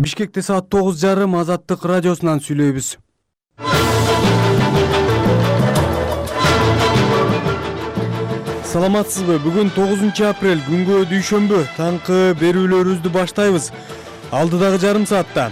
Бишкекте саат 9:30 Азаттык радиосунан сүйлөйбүз. Саламатсызбы? Бүгүн 9 апрель, күнгө дүйшөмбү. Таңкы берүүлөрүбүздү баштайбыз. Алдыдагы жарым саатта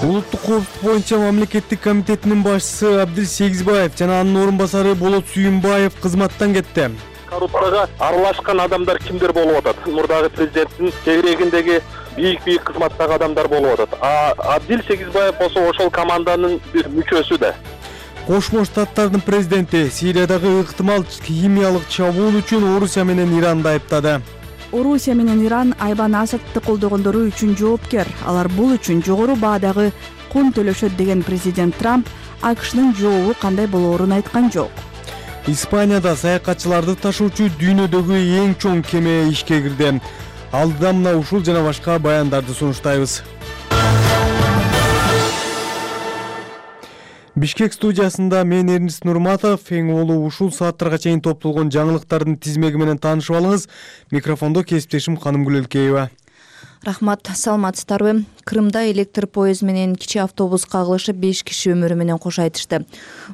Улуттук коопсуздук боюнча мамлекеттик комитетинин башчысы Абдил Сегизбаев жана анын орун басары Болот Сүйүнбаев кызматтан кетти. Коррупцияга аралашкан адамдар кимдер болуп атат? Мурдагы президенттин чегирегиндеги бийик кызматтагы адамдар болуп атат. Абдил Сегизбаев болсо ошол команданын бир мүчөсү да. Кошмо Штаттардын президенти Сириядагы ыктымал химиялык чабуул үчүн Орусия менен Иранды айыптады. Орусия менен Иран Айбан Асадты колдогондору үчүн жоопкер. Алар бул үчүн жогору баадагы кун төлөшөт деген президент Трамп АКШнын жообу кандай болоорун айткан жок. Испанияда саякатчыларды ташуучу дүйнөдөгү эң чоң кеме ишке кирди. Алдыда мына ушул жана башка баяндарды сунуштайбыз. Бишкек студиясында мен Эрнис Нурматов, эң улуу ушул сааттарга чейин топтолгон жаңылыктардын тизмеги менен таанышып алыңыз. Микрофондо кесиптешим Канымгүл Элкеева. Рахмат, саламатсыздарбы? Крымда электр поезд менен кичи автобус кагылышып 5 киши өмүрү менен кош айтышты.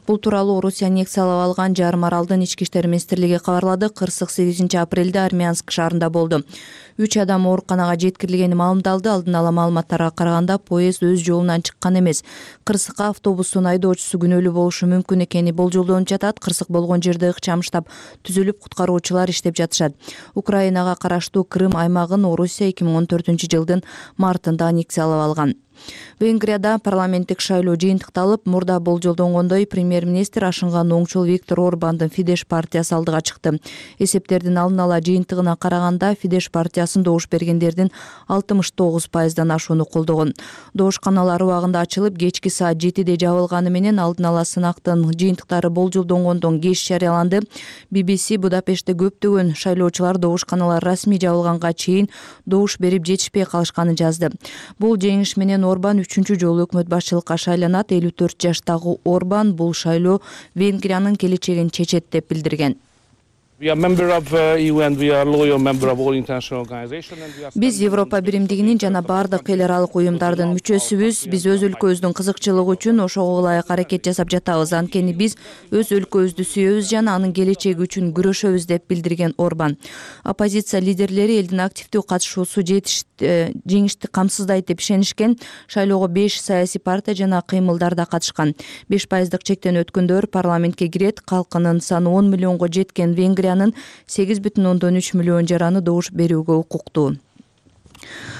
Бул тууралуу Орусия аннексиялап алган жарым аралдын ички иштер министрлиги кабарлады. Кырсык 8 апрелде Армянск шаарында болду. 3 адам ооруканага жеткирилгени маалымдалды. Алдын ала маалыматтарга караганда поезд өз жолунан чыккан эмес. Кырсыкка автобустун айдоочусу күнөөлүү болушу мүмкүн экени болжолдонуп жатат. Кырсык болгон жерде ыкчам штаб түзүлүп, куткаруучулар иштеп жатышат. Украинага караштуу Крым аймагын Орусия 2014-жылдын мартында аннексиялап алган. Венгрияда парламенттик шайлоо жыйынтыкталып, мурда болжолдонгондой премьер-министр ашынган оңчол Виктор Орбандын Фидеш партиясы алдыга чыкты. Эсептердин алдын ала жыйынтыгына караганда Фидеш партиясын добуш бергендердин 69%дан ашууну колдогон. Добушканалар убагында ачылып, кечки саат 7-де жабылганы менен алдын ала сынактын жыйынтыктары болжолдонгондон кеч жарыяланды. BBC Будапештте көптөгөн шайлоочулар добушканалар расмий жабылганга чейин добуш берип жетишпей калышканын жазды. Бул жеңиш менен Орбан 3-чү жолу өкмөт башчылыкка шайланат. 54 жаштагы Орбан бул шайлоо Венгриянын келечегин чечет деп билдирген. Биз Европа биримдигинин жана бардык эл аралык уюмдардын мүчөсүбүз. Биз өз өлкөбүздүн кызыкчылыгы үчүн ошого ылайык аракет жасап жатабыз. Анткени биз өз өлкөбүздү сүйөбүз жана анын келечеги үчүн күрөшөбүз деп билдирген Орбан. Оппозиция лидерлери элдин активдүү катышуусу жеңишти камсыздайт деп ишенишкен. Шайлоого 5 саясий партия жана кыймылдар да катышкан. 5% чектен өткөндөр парламентке кирет. Калкынын саны 10 миллионго жеткен Венгрия 8,3 миллион жараны добуш берүүгө укуктуу.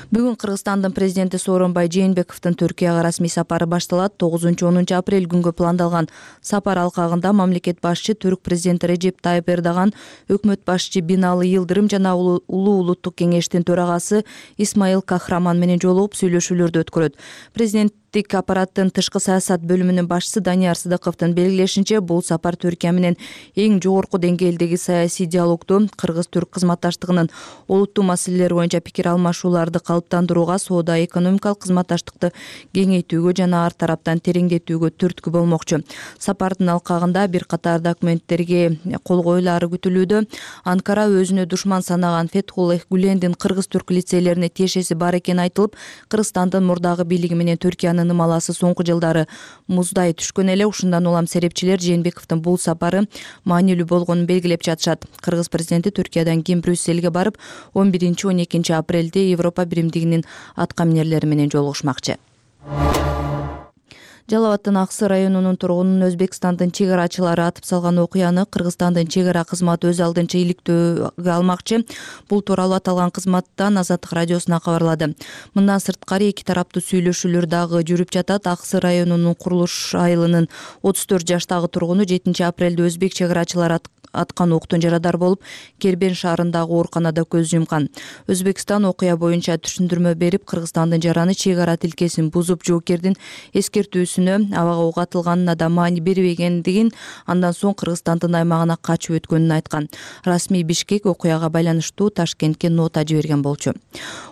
Бүгүн Кыргызстандын президенти Сооронбай Жээнбековдун Түркияга расмий сапары башталат. 9-10 апрель күнгө пландалган сапар алкагында мамлекет башчы түрк президенти Режеп Тайып Эрдоган, өкмөт башчы Бинали Йылдырым жана улуу улуттук кеңештин төрагасы Исмаил Кахраман менен жолугуп сүйлөшүүлөрдү өткөрөт. Президенттик аппараттын тышкы саясат бөлүмүнүн башчысы Данияр Сыдыковдун белгилешинче, бул сапар Түркия менен эң жогорку деңгээлдеги саясий диалогду, кыргыз-түрк кызматташтыгынын олуттуу маселелер боюнча пикир алмашууларды калыптандырууга, соода-экономикалык кызматташтыкты кеңейтүүгө жана ар тараптан тереңдетүүгө түрткү болмокчу. Сапардын алкагында бир катар документтерге кол коюлары күтүлүүдө. Анкара өзүнө душман санаган Фетхуллах Гүлендин кыргыз-түрк лицейлерине тиешеси бар экени айтылып, Кыргызстандын мурдагы бийлиги менен Түркиянын ымаласы соңку жылдары муздай түшкөн эле. Ушундан улам серепчилер Жээнбековдун бул сапары маанилүү болгонун белгилеп жатышат. Кыргыз президенти Түркиядан кийин Брюссельге барып, 11-12 апрелде Европа биримдигинин аткаминерлери менен жолугушмакчы. Жалал Абадтын Аксы районунун тургунун Өзбекстандын чегарачылары атып салган окуяны Кыргызстандын чегара кызматы өз алдынча иликтөөгө алмакчы. Бул тууралуу аталган кызматтан Азаттык радиосуна кабарлады. Мындан сырткары эки тараптуу сүйлөшүүлөр дагы жүрүп жатат. Аксы районунун Курулуш айылынын 34 жаштагы тургуну 7 апрелде өзбек чегарачылары аткан октун жарадар болуп, Кербен шаарындагы ооруканада көз жумкан. Өзбекстан окуя боюнча түшүндүрмө берип, Кыргызстандын жараны чегара тилкесин бузуп, жоокердин эскертүүсүнө абага ок атылганына да маани бербегендигин, андан соң Кыргызстандын аймагына качып өткөнүн айткан. Расмий Бишкек окуяга байланыштуу Ташкентке нота жиберген болчу.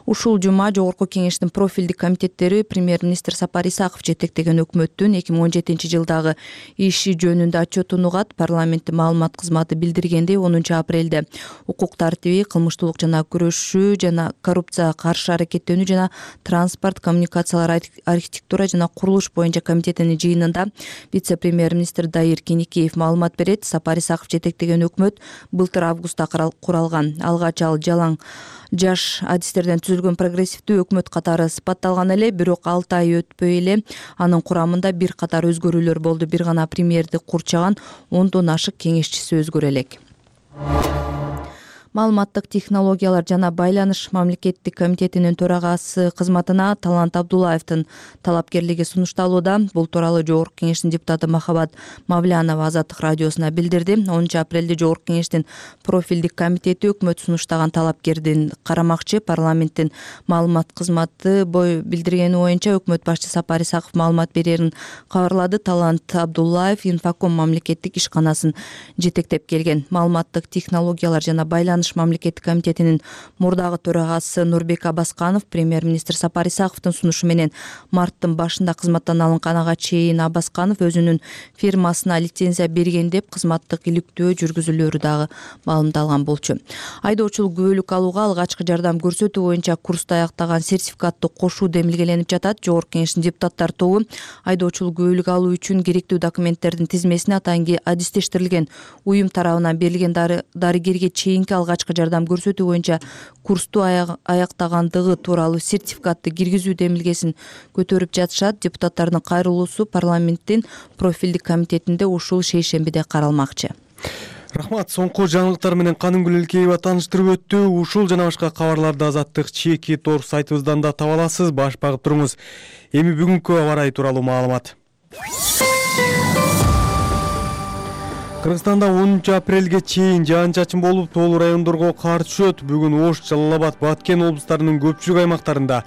Ушул жума жогорку кеңештин профилдик комитеттери премьер-министр Сапар Исаков жетектеген өкмөттүн 2017 жылдагы иши жөнүндө отчетун угат. Парламенттин маалымат кызматы кызматы билдиргендей 10 апрелде укук тартиби, кылмыштуулук жана күрөшүү жана коррупцияга каршы аракеттенүү жана транспорт, коммуникациялар, архитектура жана курулуш боюнча комитетинин жыйынында вице-премьер-министр Дайыр Кеникеев маалымат берет. Сапар Исаков жетектеген өкмөт былтыр августта куралган. Алгач ал жалаң жаш адистерден түзүлгөн прогрессивдүү өкмөт катары сыпатталган эле, бирок 6 ай өтпөй эле анын курамында бир катар өзгөрүүлөр болду. Бир гана премьерди курчаган 10дон ашык кеңешчиси өзгөрө элек. Маалыматтык технологиялар жана байланыш мамлекеттик комитетинин төрагасы кызматына Талант Абдуллаевдин талапкерлиги сунушталууда. Бул тууралуу Жогорку Кеңештин депутаты Махабат Мавлянова Азаттык радиосуна билдирди. 10 апрелде Жогорку Кеңештин профилдик комитети өкмөт сунуштаган талапкердин карамакчы. Парламенттин маалымат кызматы билдиргени боюнча өкмөт башчы Сапар Исаков маалымат берерин кабарлады. Талант Абдуллаев Инфоком мамлекеттик ишканасын жетектеп келген. Маалыматтык технологиялар жана байланыш мамлекеттик комитетинин мурдагы төрагасы Нурбек Абасканов премьер-министр Сапар Исаковдун сунушу менен марттын башында кызматтан алынганга чейин Абасканов өзүнүн фирмасына лицензия берген деп кызматтык иликтөө жүргүзүүлөрү дагы маалымдалган болчу. Айдоочулук күбөлүк алууга алгачкы жардам көрсөтүү боюнча курсту аяктаган сертификатту кошуу демилгеленип жатат. Жогорку Кеңештин депутаттар тобу айдоочулук күбөлүк алуу үчүн керектүү документтердин тизмесине атайын адистештирилген уюм тарабынан берилген дарыгерге чейинки алгачкы жардам көрсөтүү боюнча курсту аяктагандыгы тууралуу сертификатты киргизүү демилгесин көтөрүп жатышат. Депутаттардын кайрылуусу парламенттин профилдик комитетинде ушул шейшембиде каралмакчы. Рахмат. Соңку жаңылыктар менен Каныгүл Элкеева тааныштырып өттү. Ушул жана башка кабарларды Азаттык чеки тор сайтыбыздан да таба аласыз. Баш багып туруңуз. Эми бүгүнкү аба ырайы тууралуу маалымат. Кыргызстанда 10 апрелге чейин жаан-чачын болуп, тоолуу райондорго кар түшөт. Бүгүн Ош, Жалал Абад, Баткен облустарынын көпчүлүк аймактарында,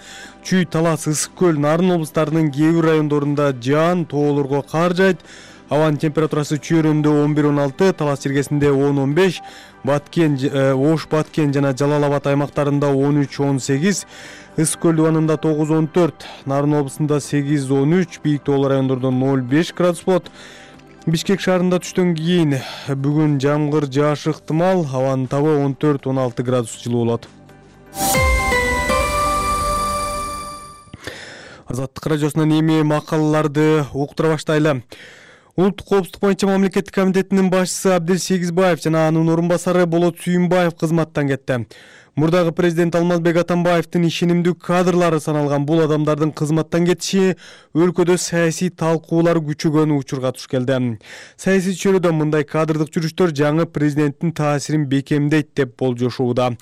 Чүй, Талас, Ысык көл, Нарын облустарынын кээ бир райондорунда жаан, тоолорго кар жайт. Абанын температурасы Чүйрөндө 11-16, Талас жергесинде 10-15, Баткен, Ош, Баткен жана Жалал Абад аймактарында 13-18, Ысык көл дубанында 9-14, Нарын облусунда 8-13, бийик тоолуу райондордо 0-5 градус болот. Бишкек шаарында түштөн кийин бүгүн жамгыр жаашы ыктымал, абанын табы 14-16 градус жылуу болот. Азаттык радиосунан эми макалаларды уктура баштайлы. Улуттук коопсуздук боюнча мамлекеттик комитетинин башчысы Абдел Сегизбаев жана анын орун басары Болот Сүйүнбаев кызматтан кетти. Мурдагы президент Алмазбек Атамбаевдин ишенимдүү кадрлары саналган бул адамдардын кызматтан кетиши өлкөдө саясий талкуулар күчөгөн учурга туш келди. Саясий чөйрөдө мындай кадрдык жүрүштөр жаңы президенттин таасирин бекемдейт деп болжошууда.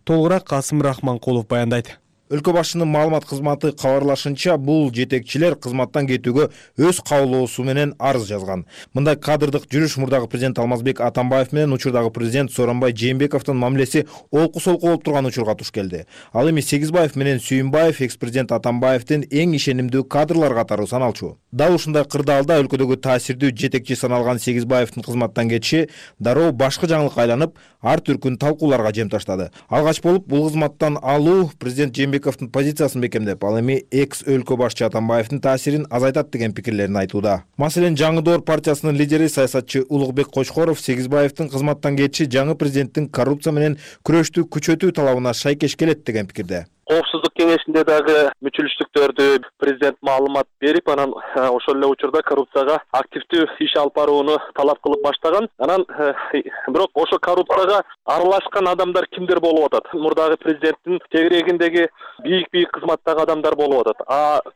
Толугураак Касым Рахманкулов баяндайт. Өлкө башчынын маалымат кызматы кабарлашынча, бул жетекчилер кызматтан кетүүгө өз каалоосу менен арыз жазган. Мындай кадрдык жүрүш мурдагы президент Алмазбек Атамбаев менен учурдагы президент Сооронбай Жээнбековдун мамилеси олку-солку болуп турган учурга туш келди. Ал эми Сегизбаев менен Сүйүнбаев экс-президент Атамбаевдин эң ишенимдүү кадрлар катары саналчу. Дал ушундай кырдаалда өлкөдөгү таасирдүү жетекчи саналган Сегизбаевдин кызматтан кетиши дароо башкы жаңылыкка айланып, ар түркүн талкууларга жем таштады. Алгач болуп бул кызматтан алуу президент Жээнбековдун позициясын бекемдеп, ал эми экс өлкө башчы Атамбаевдин таасирин азайтат деген пикирлерин айтууда. Маселен, Жаңы Доор партиясынын лидери саясатчы Улукбек Кочкоров Сегизбаевдин кызматтан кетиши жаңы президенттин коррупция менен күрөштү күчөтүү талабына шайкеш келет деген пикирде. Коопсуздук кеңешинде дагы мүчүлүштүктөрдү президент маалымат берип, анан ошол эле учурда коррупцияга активдүү иш алып барууну талап кылып баштаган. Анан бирок ошо коррупцияга аралашкан адамдар кимдер болуп атат? Мурдагы президенттин тегерегиндеги бийик кызматтагы адамдар болуп атат.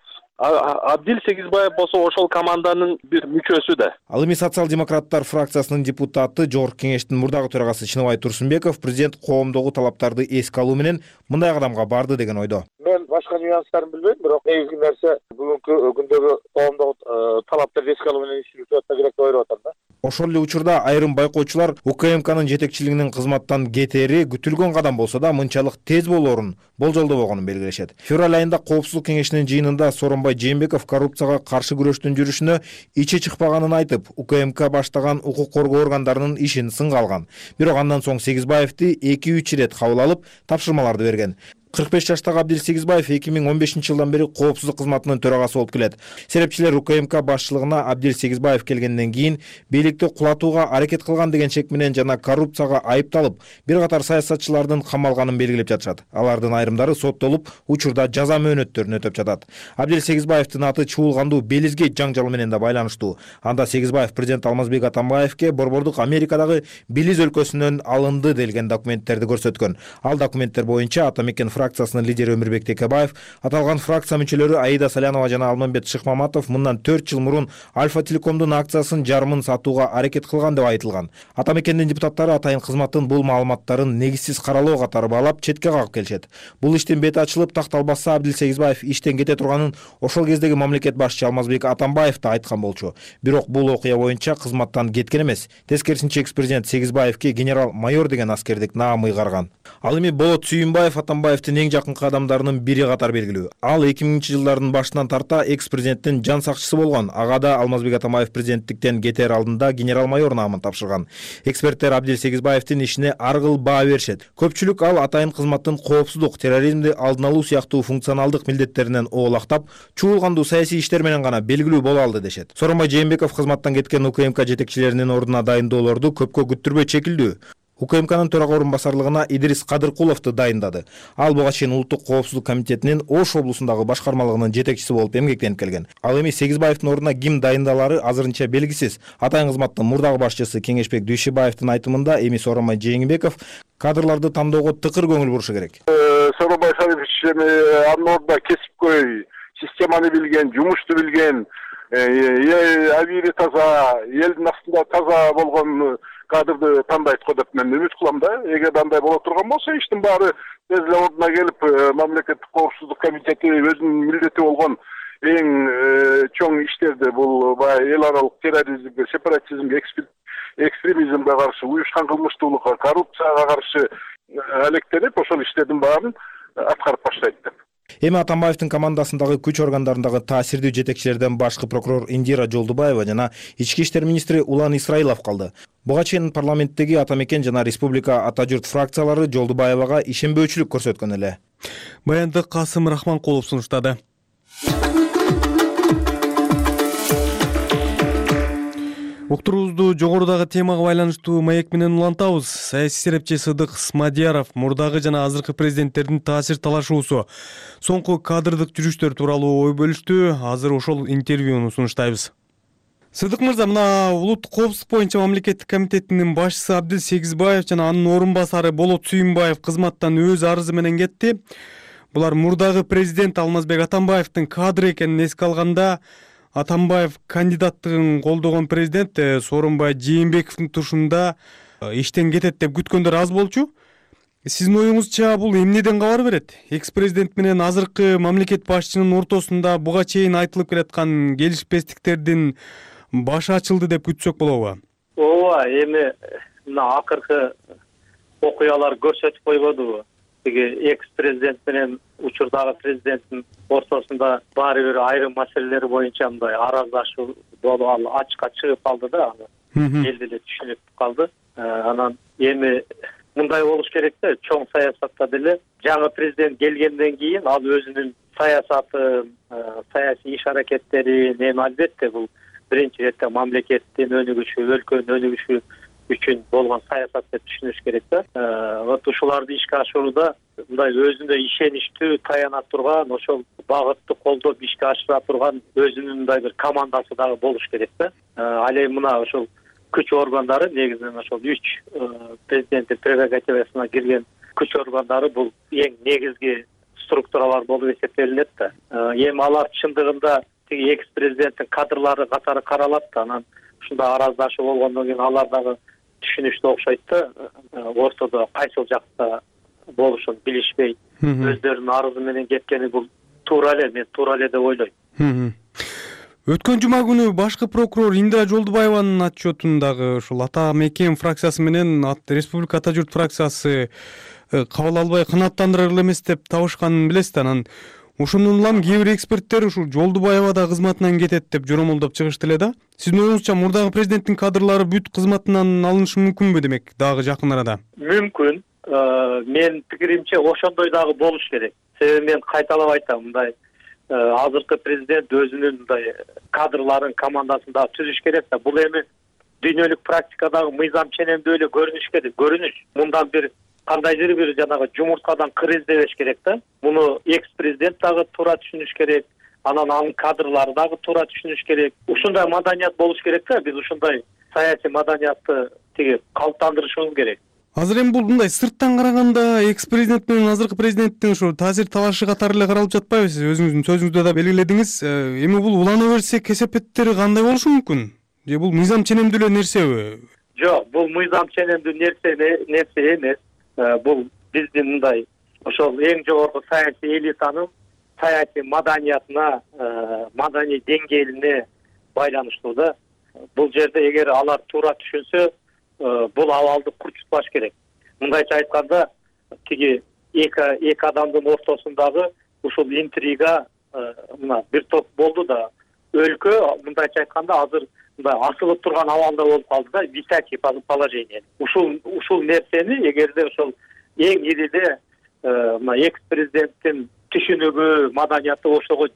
Абдил Сегизбаев болсо ошол команданын бир мүчөсү да. Ал эми социал-демократтар фракциясынын депутаты, Жогорку Кеңештин мурдагы төрагасы Чыныбай Турсунбеков президент коомдогу талаптарды эске алуу менен мындай кадамга барды деген ойдо. Мен башка нюанстарын билбейм, бирок негизги нерсе бүгүнкү күндөгү коомдогу талаптарды эске алуу менен иш жүргүзүп атса керек деп ойлоп атам да. Ошол эле учурда айрым байкоочулар УКМКнын жетекчилигинин кызматтан кетери күтүлгөн кадам болсо да мынчалык тез болоорун болжолдобогонун белгилешет. Февраль айында Коопсуздук кеңешинин жыйынында Сооронбай Жээнбеков коррупцияга каршы күрөштүн жүрүшүнө ичи чыкпаганын айтып, УКМК баштаган укук коргоо органдарынын ишин сынга алган. Бирок андан соң Сегизбаевди 2-3 ирет кабыл алып, тапшырмаларды берген. 45 жаштагы Абдил Сегизбаев 2015 жылдан бери коопсуздук кызматынын төрагасы болуп келет. Серепчилер УКМК башчылыгына Абдил Сегизбаев келгенден кийин бийликти кулатууга аракет кылган деген шек менен жана коррупцияга айыпталып, бир катар саясатчылардын камалганын белгилеп жатышат. Алардын айрымдары соттолуп, учурда жаза мөөнөттөрүн өтөп жатат. Абдил Сегизбаевдин аты чуулгандуу Белизгейт жаңжалы менен да байланыштуу. Анда Сегизбаев президент Алмазбек Атамбаевке борбордук Америкадагы Белиз өлкөсүнөн алынды делген документтерди көрсөткөн. Ал документтер боюнча Атамекен фракциясынын лидери Өмүрбек Текебаев, аталган фракция мүчөлөрү Аида Салянова жана Алмамбет Шыкмаматов мындан 4 жыл мурун Альфа Телекомдун акциясын жарымын сатууга аракет кылган деп айтылган. Атамекендин депутаттары атайын кызматтын бул маалыматтарын негизсиз каралоо катары баалап четке кагып келишет. Бул иштин бети ачылып такталбаса, Абдил Сегизбаев иштен кете турганын ошол кездеги мамлекет башчы Алмазбек Атамбаев да айткан болчу. Бирок бул окуя боюнча кызматтан кеткен эмес. Тескерисинче экс-президент Сегизбаевке генерал-майор деген аскердик наам ыйгарган. Ал эми Болот Сүйүнбаев Атамбаевдин эң жакынкы адамдарынын бири катары белгилүү. Ал 2000-жылдардын башынан тарта экс-президенттин жан сакчысы болгон. Ага да Алмазбек Атамбаев президенттиктен кетер алдында генерал-майор наамын тапшырган. Эксперттер Абдил Сегизбаевдин ишине ар кыл баа беришет. Көпчүлүк ал атайын кызматтын коопсуздук, терроризмди алдын алуу сыяктуу функционалдык милдеттеринен оолактап, чуулгандуу саясий иштер менен гана белгилүү боло алды дешет. Сооронбай Жээнбеков кызматтан кеткен УКМК жетекчилеринин ордуна дайындоолорду көпкө күттүрбөй чекилдүү. УКМКнын төрага орун басарлыгына Идрис Кадыркуловду дайындады. Ал буга чейин Улуттук коопсуздук комитетинин Ош облусундагы башкармалыгынын жетекчиси болуп эмгектенип келген. Ал эми Сегизбаевдин ордуна ким дайындалары азырынча белгисиз. Атайын кызматтын мурдагы башчысы Кеңешбек Дүйшөбаевдин айтымында эми Сооронбай Жээнбеков кадрларды тандоого тыкыр көңүл бурушу керек. Сооронбай Салихович анын ордуна кесипкөй, системаны билген, жумушту билген, абийири таза, элдин астында таза болгон кадрды тандайт го деп мен үмүт кылам да. Эгер андай боло турган болсо, иштин баары тез эле ордуна келип, мамлекеттик коопсуздук комитети өзүнүн милдети болгон эң чоң иштерди, бул баягы эл аралык терроризмге, сепаратизмге, экстремизмге каршы, уюшкан кылмыштуулукка, коррупцияга каршы алектенип, ошол иштердин баарын аткарып баштайт деп. Эми Атамбаевдин командасындагы күч органдарындагы таасирдүү жетекчилерден башкы прокурор Индира Жолдубаева жана ички иштер министри Улан Исраилов калды. Буга чейин парламенттеги Атамекен жана Республика Ата журт фракциялары Жолдубаевага ишенбөөчүлүк көрсөткөн эле. Баянды Касым Рахманкулов сунуштады. Уктуруубузду жогорудагы темага байланыштуу маек менен улантабыз. Саясий серепчи Сыдык Смадияров мурдагы жана азыркы президенттердин таасир талашуусу, соңку кадрдык жүрүштөр тууралуу ой бөлүштү. Азыр ошол интервьюну сунуштайбыз. Сыдык мырза, мына улуттук коопсуздук боюнча мамлекеттик комитетинин башчысы Абдил Сегизбаев жана анын орун басары Болот Сүйүнбаев кызматтан өз арызы менен кетти. Булар мурдагы президент Алмазбек Атамбаевдин кадры экенин эске алганда, Атамбаев кандидаттыгын колдогон президент Сооронбай Жээнбековдун тушунда иштен кетет деп күткөндөр аз болчу. Сиздин оюңузча бул эмнеден кабар берет? Экс-президент менен азыркы мамлекет башчынын ортосунда буга чейин айтылып келаткан келишпестиктердин башы ачылды деп күтсөк болобу? Ооба, эми мына акыркы окуялар көрсөтүп койбодубу? Тиги экс-президент менен учурдагы президенттин ортосунда баары бир айрым маселелер боюнча мындай араздашуу болуп, ал ачыкка чыгып калды да, эл деле түшүнүп калды. Анан эми мындай болуш керек да, чоң саясатта деле жаңы президент келгенден кийин ал өзүнүн саясатын, саясий иш аракеттерин, эми албетте бул биринчи иретте мамлекеттин өнүгүшү, өлкөнүн өнүгүшү үчүн болгон саясат деп түшүнүш керек да. Вот ушуларды ишке ашырууда мындай өзүнө ишеничтүү, таяна турган, ошол багытты колдоп ишке ашыра турган өзүнүн мындай бир командасы дагы болуш керек да. Ал эми мына ошол күч органдары, негизинен ошол 3 президенттин прерогативасына кирген күч органдары бул эң негизги структуралар болуп эсептелинет да. Эми алар чындыгында тиги экс-президенттин кадрлары катары каралат да, анан ушундай араздашуу болгондон кийин алар дагы түшүнүштүү окшойт да, ортодо кайсыл жакта болушун билишпей өздөрүнүн арызы менен кеткени бул туура эле, мен туура эле деп ойлойм. Өткөн жума күнү башкы прокурор Индира Жолдубаеванын отчетундагы ушул Атамекен фракциясы менен Республика Ата журт фракциясы кабыл албай канааттандырар эле эмес деп табышканын билесиз да. Анан ошондон улам кээ бир эксперттер ушул Жолдубаева да кызматынан кетет деп жоромолдоп чыгышты эле да. Сиздин оюңузча мурдагы президенттин кадрлары бүт кызматынан алынышы мүмкүнбү демек дагы жакын арада? Мүмкүн. менин пикиримче ошондой дагы болуш керек. Себеби мен кайталап айтам, мындай азыркы президент өзүнүн мындай кадрларын, командасын дагы түзүш керек да. Бул эми дүйнөлүк практикадагы мыйзам ченемдүү эле көрүнүш керек. Мындан бир кандайдыр бир жанагы жумурткадан кыр издебеш керек да. Муну экс-президент дагы туура түшүнүш керек. Анын кадрлары дагы туура түшүнүш керек. Ушундай маданият болуш керек да. Биз ушундай саясий маданиятты калыптандырышыбыз керек. Азыр эми бул мындай сырттан караганда экс-президент менен азыркы президенттин ушу таасир талашы катары эле каралып жатпайбы? Сиз өзүңүздүн сөзүңүздө да белгиледиңиз. Эми бул улана берсе кесепеттери кандай болушу мүмкүн? Же бул мыйзам ченемдүү эле нерсеби? Жок, бул мыйзам ченемдүү нерсе эмес. Бул биздин мындай ошол эң жогорку саясий элитанын саясий маданиятына, маданий деңгээлине байланыштуу да. Бул жерде эгер алар туура түшүнсө, бул абалды курчутпаш керек. Мындайча айтканда, эки адамдын ортосундагы ушул интрига мына бир топ болду да, өлкө мындайча айтканда азыр мындай асылып турган абалда болуп калды да, висячий положение. Ушул нерсени эгерде ошол эң ириде мына экс-президенттин түшүнүгү, маданияты ошого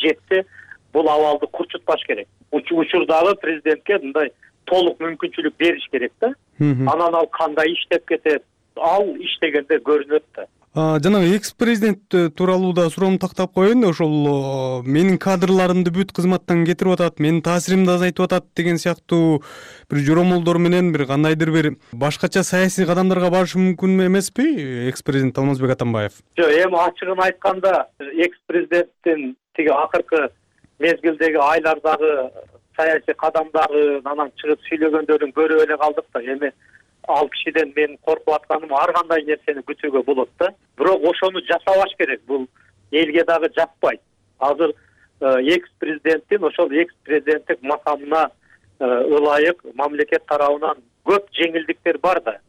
жетсе, бул абалды курчутпаш керек. Учурдагы президентке мындай толук мүмкүнчүлүк бериш керек да. Анан ал кандай иштеп кетет, ал иштегенде көрүнөт да. Жанагы экс-президент тууралуу да суроону тактап коеюн. Ошол менин кадрларымды бүт кызматтан кетирип атат, менин таасиримди азайтып атат деген сыяктуу бир жоромолдор менен бир кандайдыр бир башкача саясий кадамдарга барышы мүмкүн эмеспи экс-президент Алмазбек Атамбаев? Жок, эми ачыгын айтканда, экс-президенттин акыркы мезгилдеги айлардагы саясий кадамдарын анан чыгып сүйлөгөндөрүн көрүп эле калдык да. Эми ал кишиден мен коркуп атканым ар кандай нерсени күтүүгө болот да. Бирок ошону жасабаш керек. Бул элге дагы жакпайт. Азыр экс-президенттин ошол экс-президенттик макамына ылайык мамлекет тарабынан көп жеңилдиктер бар да.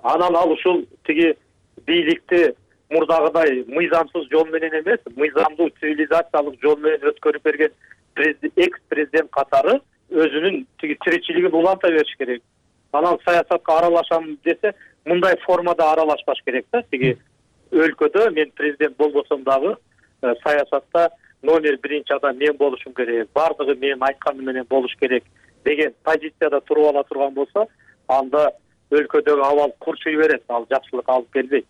Анан ал ушул бийликти мурдагыдай мыйзамсыз жол менен эмес, мыйзамдуу цивилизациялык жол менен өткөрүп берген экс-президент катары өзүнүн тиричилигин уланта бериш керек. Анан саясатка аралашам десе, мындай формада аралашпаш керек да. Өлкөдө мен президент болбосом дагы саясатта номер биринчи адам мен болушум керек, бардыгы менин айтканым менен болуш керек деген позицияда туруп ала турган болсо, анда өлкөдөгү абал курчуй берет, ал жакшылыкка алып келбейт.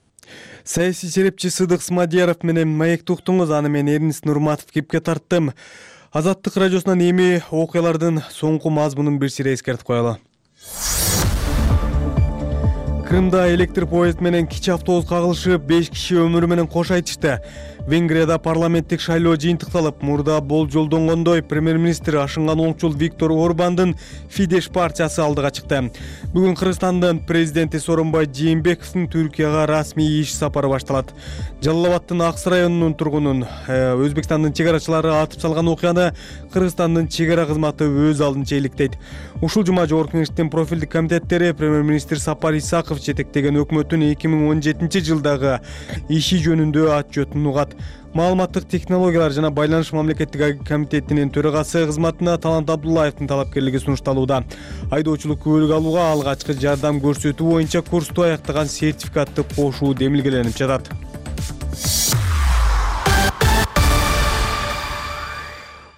Саясий серепчи Сыдык Смадияров менен маекти уктуңуз. Аны мен Эрнис Нурматов кепке тарттым. Азаттык радиосунан эми окуялардын соңку мазмунун бир сире эскертип коелу. Крымда электр поезд менен кичи автобус кагылышып, 5 киши өмүрү менен кош айтышты. Венгрияда парламенттик шайлоо жыйынтыкталып, мурда болжолдонгондой премьер-министр ашынган оңчул Виктор Орбандын Фидеш партиясы алдыга чыкты. Бүгүн Кыргызстандын президенти Сооронбай Жээнбековдун Түркияга расмий иш сапары башталат. Жалал Абадтын Аксы районунун тургунун Өзбекстандын чегарачылары атып салган окуяны Кыргызстандын чегара кызматы өз алдынча иликтейт. Ушул жума Жогорку Кеңештин профилдик комитеттери премьер-министр Сапар Исаков жетектеген өкмөттүн 2017 жылдагы иши жөнүндө отчетун угат. Маалыматтык технологиялар жана байланыш мамлекеттик комитетинин төрагасы кызматына Талант Абдуллаевдин талапкерлиги сунушталууда. Айдоочулук күбөлүк алууга алгачкы жардам көрсөтүү боюнча курсту аяктаган сертификатты кошуу демилгеленип жатат.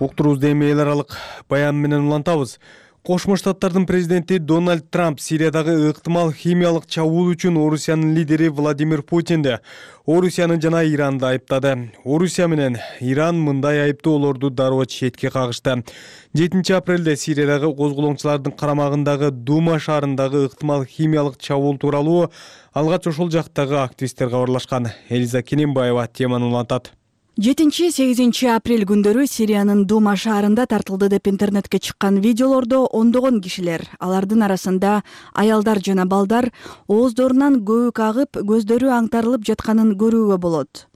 Уктуруубузду эми эл аралык баян менен улантабыз. Кошмо Штаттардын президенти Дональд Трамп Сириядагы ыктымал химиялык чабуул үчүн Орусиянын лидери Владимир Путинди, Орусияны жана Иранды айыптады. Орусия менен Иран мындай айыптоолорду дароо четке кагышты. 7 апрелде Сириядагы козголоңчулардын карамагындагы Дума шаарындагы ыктымал химиялык чабуул тууралуу алгач ошол жактагы активисттер кабарлашкан. Элиза Кененбаева теманы улантат. 7-8 апрель күндөрү Сириянын Дума шаарында тартылды деп интернетке чыккан видеолордо ондогон кишилер, алардын арасында аялдар жана балдар ооздорунан көбүк агып, көздөрү аңтарылып жатканын көрүүгө болот.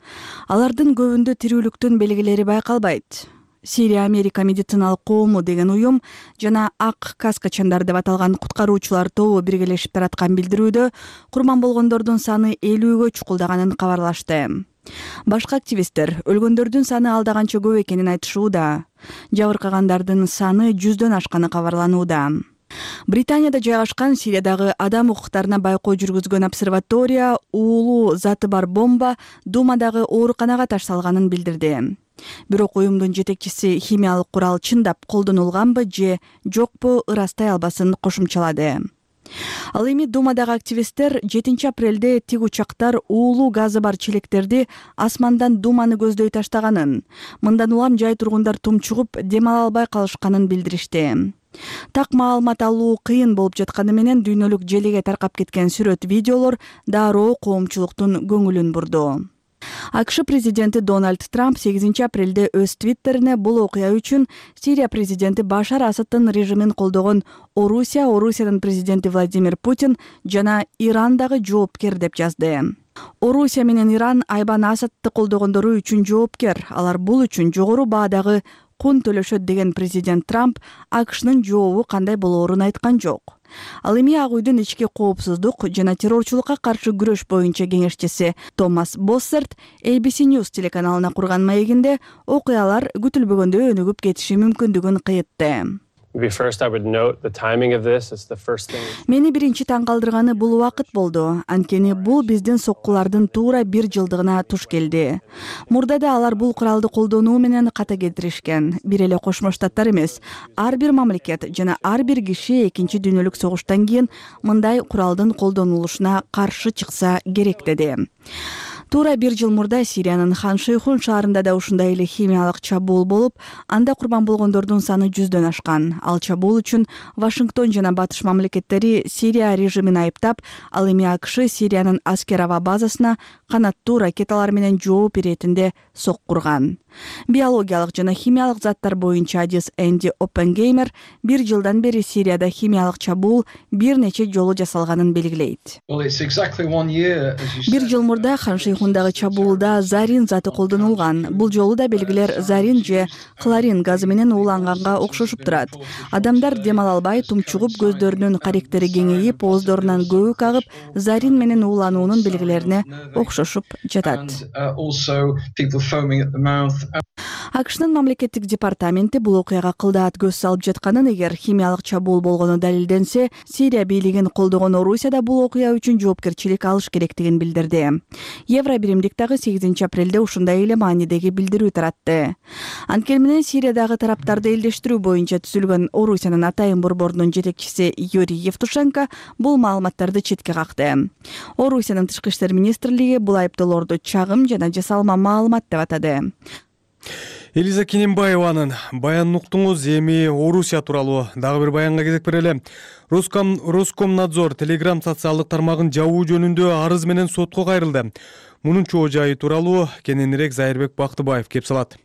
Алардын көбүндө тирүүлүктүн белгилери байкалбайт. Сирия Америка медициналык коому деген уюм жана ак каскачандар деп аталган куткаруучулар тобу биргелешип тараткан билдирүүдө курман болгондордун саны 50-гө чукулдаганын кабарлашты. Башка активисттер өлгөндөрдүн саны алда канча көп экенин айтышууда. Жабыркагандардын саны 100дөн ашканы кабарланууда. Британияда жайгашкан Сириядагы адам укуктарына байкоо жүргүзгөн обсерватория уулуу заты бар бомба Думадагы ооруканага ташталганын билдирди. Бирок уюмдун жетекчиси химиялык курал чындап колдонулганбы же жокпу ырастай албасын кошумчалады. Ал эми Думадагы активисттер 7 апрелде тиг учактар уулуу газы бар челектерди асмандан Думаны көздөй таштаганын, мындан улам жай тургундар тумчугуп дем ала албай калышканын билдиришти. Так маалымат алуу кыйын болуп жатканы менен дүйнөлүк желеге таркап кеткен сүрөт видеолор дароо коомчулуктун көңүлүн бурду. АКШ президенти Дональд Трамп 8 апрелде өз твиттерине бул окуя үчүн Сирия президенти Башар Асаддын режимин колдогон Орусиянын президенти Владимир Путин жана Иран дагы жоопкер деп жазды. Орусия менен Иран Айбан Асадды колдогондору үчүн жоопкер. Алар бул үчүн жогору баадагы кун төлөшөт деген президент Трамп АКШнын жообу кандай болоорун айткан жок. Ал эми Ак үйдүн ички коопсуздук жана террорчулукка каршы күрөш боюнча кеңешчиси Томас Боссерт ABC News телеканалына курган маегинде окуялар күтүлбөгөндө өнүгүп кетиши мүмкүндүгүн кыйтты. Мени биринчи таң калтырганы бул убакыт болду. Анткени бул биздин соккулардын туура 1 жылдыгына туш келди. Мурдада алар бул куралды колдонуу менен ката келтиришкен. Бир эле Кошмо Штаттар эмес, ар бир мамлекет жана ар бир киши Экинчи дүйнөлүк согуштан кийин мындай куралдын колдонулушуна каршы чыкса керек деди. Туура 1 жыл мурда Сириянын Хан Шейхун шаарында да ушундай эле химиялык чабуул болуп, анда курбан болгондордун саны 100дөн ашкан. Ал чабуул үчүн Вашингтон жана Батыш мамлекеттери Сирия режимин айыптап, ал эми АКШ Сириянын аскер аба базасына канаттуу ракеталар менен жооп беретинде соккурган. Биологиялык жана химиялык заттар боюнча адис Энди Оппенгеймер 1 жылдан бери Сирияда химиялык чабуул бир нече жолу жасалганын белгилейт. 1 жыл мурда Хан Шейхундагы чабуулда зарин заты колдонулган. Бул жолу да белгилер зарин же хлорин газы менен ууланганга окшошуп турат. Адамдар дем ала албай, тумчугуп, көздөрүнүн каректери кеңейип, ооздорунан көбүк агып, зарин менен уулануунун белгилерине окшошуп жатат. АКШнын мамлекеттик департаменти бул окуяга кылдаат көз салып жатканын, эгер химиялык чабуул болгону далилденсе, Сирия бийлигин колдогон Орусияда бул окуя үчүн жоопкерчилик алыш керектигин билдирди. Евро биримдик дагы 8 апрелде ушундай эле маанидеги билдирүү таратты. Анткени менен Сириядагы тараптарды элдештирүү боюнча түзүлгөн Орусиянын атайын борборунун жетекчиси Юрий Евтушенко бул маалыматтарды четке какты. Орусиянын тышкы иштер министрлиги бул айыптоолорду чагым жана жасалма маалымат деп атады. Элиза Кененбаеванын баянын уктуңуз. Эми Орусия тууралуу дагы бир баянга кезек берели. Роскомнадзор Telegram социалдык тармагын жабуу жөнүндө арыз менен сотко кайрылды. Мунун чоо жайы тууралуу кененирээк Зайырбек Бактыбаев кеп салат.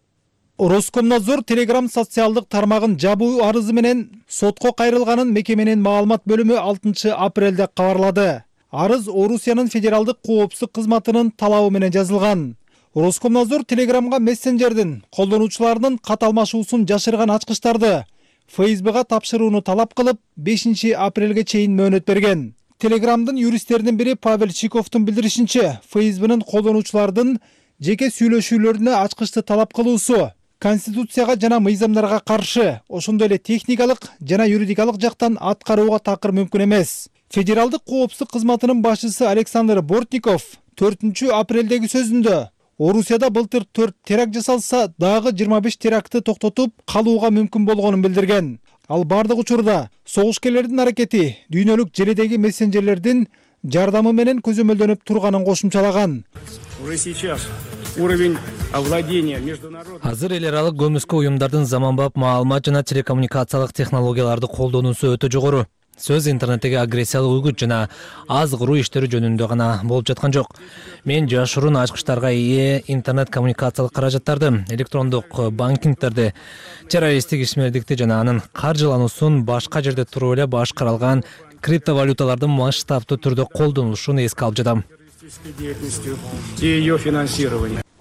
Роскомнадзор Telegram социалдык тармагын жабуу арызы менен сотко кайрылганын мекеменин маалымат бөлүмү 6 апрелде кабарлады. Арыз Орусиянын федералдык коопсуздук кызматынын талабы менен жазылган. Роскомнадзор Telegramга мессенджердин колдонуучуларынын кат алмашуусун жашырган ачкычтарды ФСБга тапшырууну талап кылып 5 апрелге чейин мөөнөт берген. Telegramдын юристтеринин бири Павел Чиковдун билдиришинче, ФСБнын колдонуучулардын жеке сүйлөшүүлөрүнө ачкычты талап кылуусу Конституцияга жана мыйзамдарга каршы, ошондой эле техникалык жана юридикалык жактан аткарууга такыр мүмкүн эмес. Федералдык коопсуздук кызматынын башчысы Александр Бортников 4 апрелдеги сөзүндө Орусияда былтыр 4 теракт жасалса, дагы 25 терактты токтотуп калууга мүмкүн болгонун билдирген. Ал бардык учурда согушкерлердин аракети дүйнөлүк желедеги мессенджерлердин жардамы менен көзөмөлдөнүп турганын кошумчалаган. Азыр эл аралык көмүскө уюмдардын заманбап маалымат жана телекоммуникациялык технологияларды колдонуусу өтө жогору. Сөз интернеттеги агрессиялык үгүт жана аз куруу иштери жөнүндө гана болуп жаткан жок. Мен жашыруун ачкычтарга ээ интернет коммуникациялык каражаттарды, электрондук банкингтерди, террористтик ишмердикти жана анын каржылануусун башка жерде туруп эле башкарылган криптовалюталардын масштабтуу түрдө колдонулушун эске алып жатам.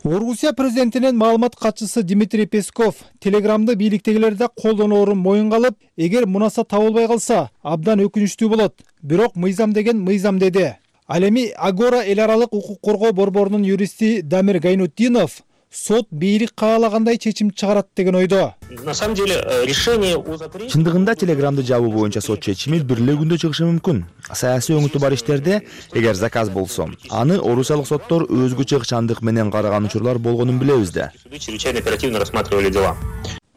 Орусия президентинин маалымат катчысы Дмитрий Песков Телеграмды бийликтегилерде колдоноорун моюнга алып, эгер мунаса табылбай калса, абдан өкүнүчтүү болот. Бирок мыйзам деген мыйзам деди. Ал эми Агора эл аралык укук коргоо борборунун юристи Дамир Гайнутдинов сот бийлик каалагандай чечим чыгарат деген ойдо. На самом деле решение о запрете... Чындыгында телеграмды жабуу боюнча сот чечими бир эле күндө чыгышы мүмкүн. Саясий өңүтү бар иштерде эгер заказ болсо, аны орусиялык соттор өзгөчө ыкчамдык менен караган учурлар болгонун билебиз да. Чрезвычайно оперативно рассматривали дела.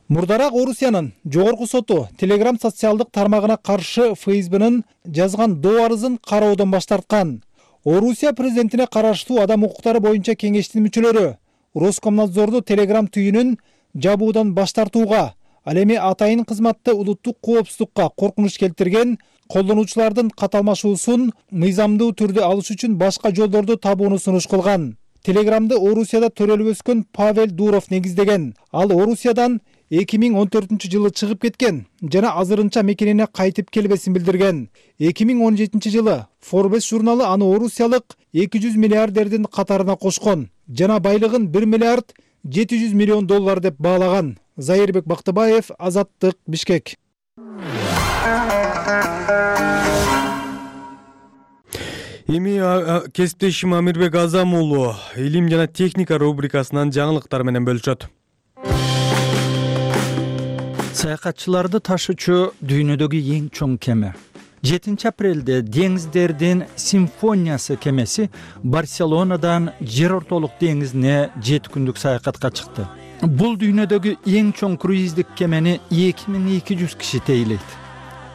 Мурдараак Орусиянын жогорку соту Telegram социалдык тармагына каршы ФСБнын жазган доо арызын кароодон баш тарткан. Орусия президентине караштуу адам укуктары боюнча кеңештин мүчөлөрү Роскомнадзорду Telegram түйүнүн жабуудан баш тартууга, ал эми атайын кызматты улуттук коопсуздукка коркунуч келтирген колдонуучулардын каталмашуусун мыйзамдуу түрдө алыш үчүн башка жолдорду табууну сунуш кылган. Телеграмды Орусияда төрөлүп өскөн Павел Дуров негиздеген. Ал Орусиядан 2014-жылы чыгып кеткен жана азырынча мекенине кайтып келбесин билдирген. 2017-жылы Forbes журналы аны орусиялык 200 миллиардердин катарына кошкон жана байлыгын 1 миллиард 700 миллион доллар деп баалаган. Зайырбек Бактыбаев, Азаттык, Бишкек. Эми кесиптешим Амирбек Азам уулу илим жана техника рубрикасынан жаңылыктар менен бөлүшөт. Саякатчыларды ташуучу дүйнөдөгү эң чоң кеме. 7 апрелде деңиздердин симфониясы кемеси Барселонадан жер ортолук деңизине 7 күндүк саякатка чыкты. Бул дүйнөдөгү эң чоң круиздик кемени 2200 киши тейлейт.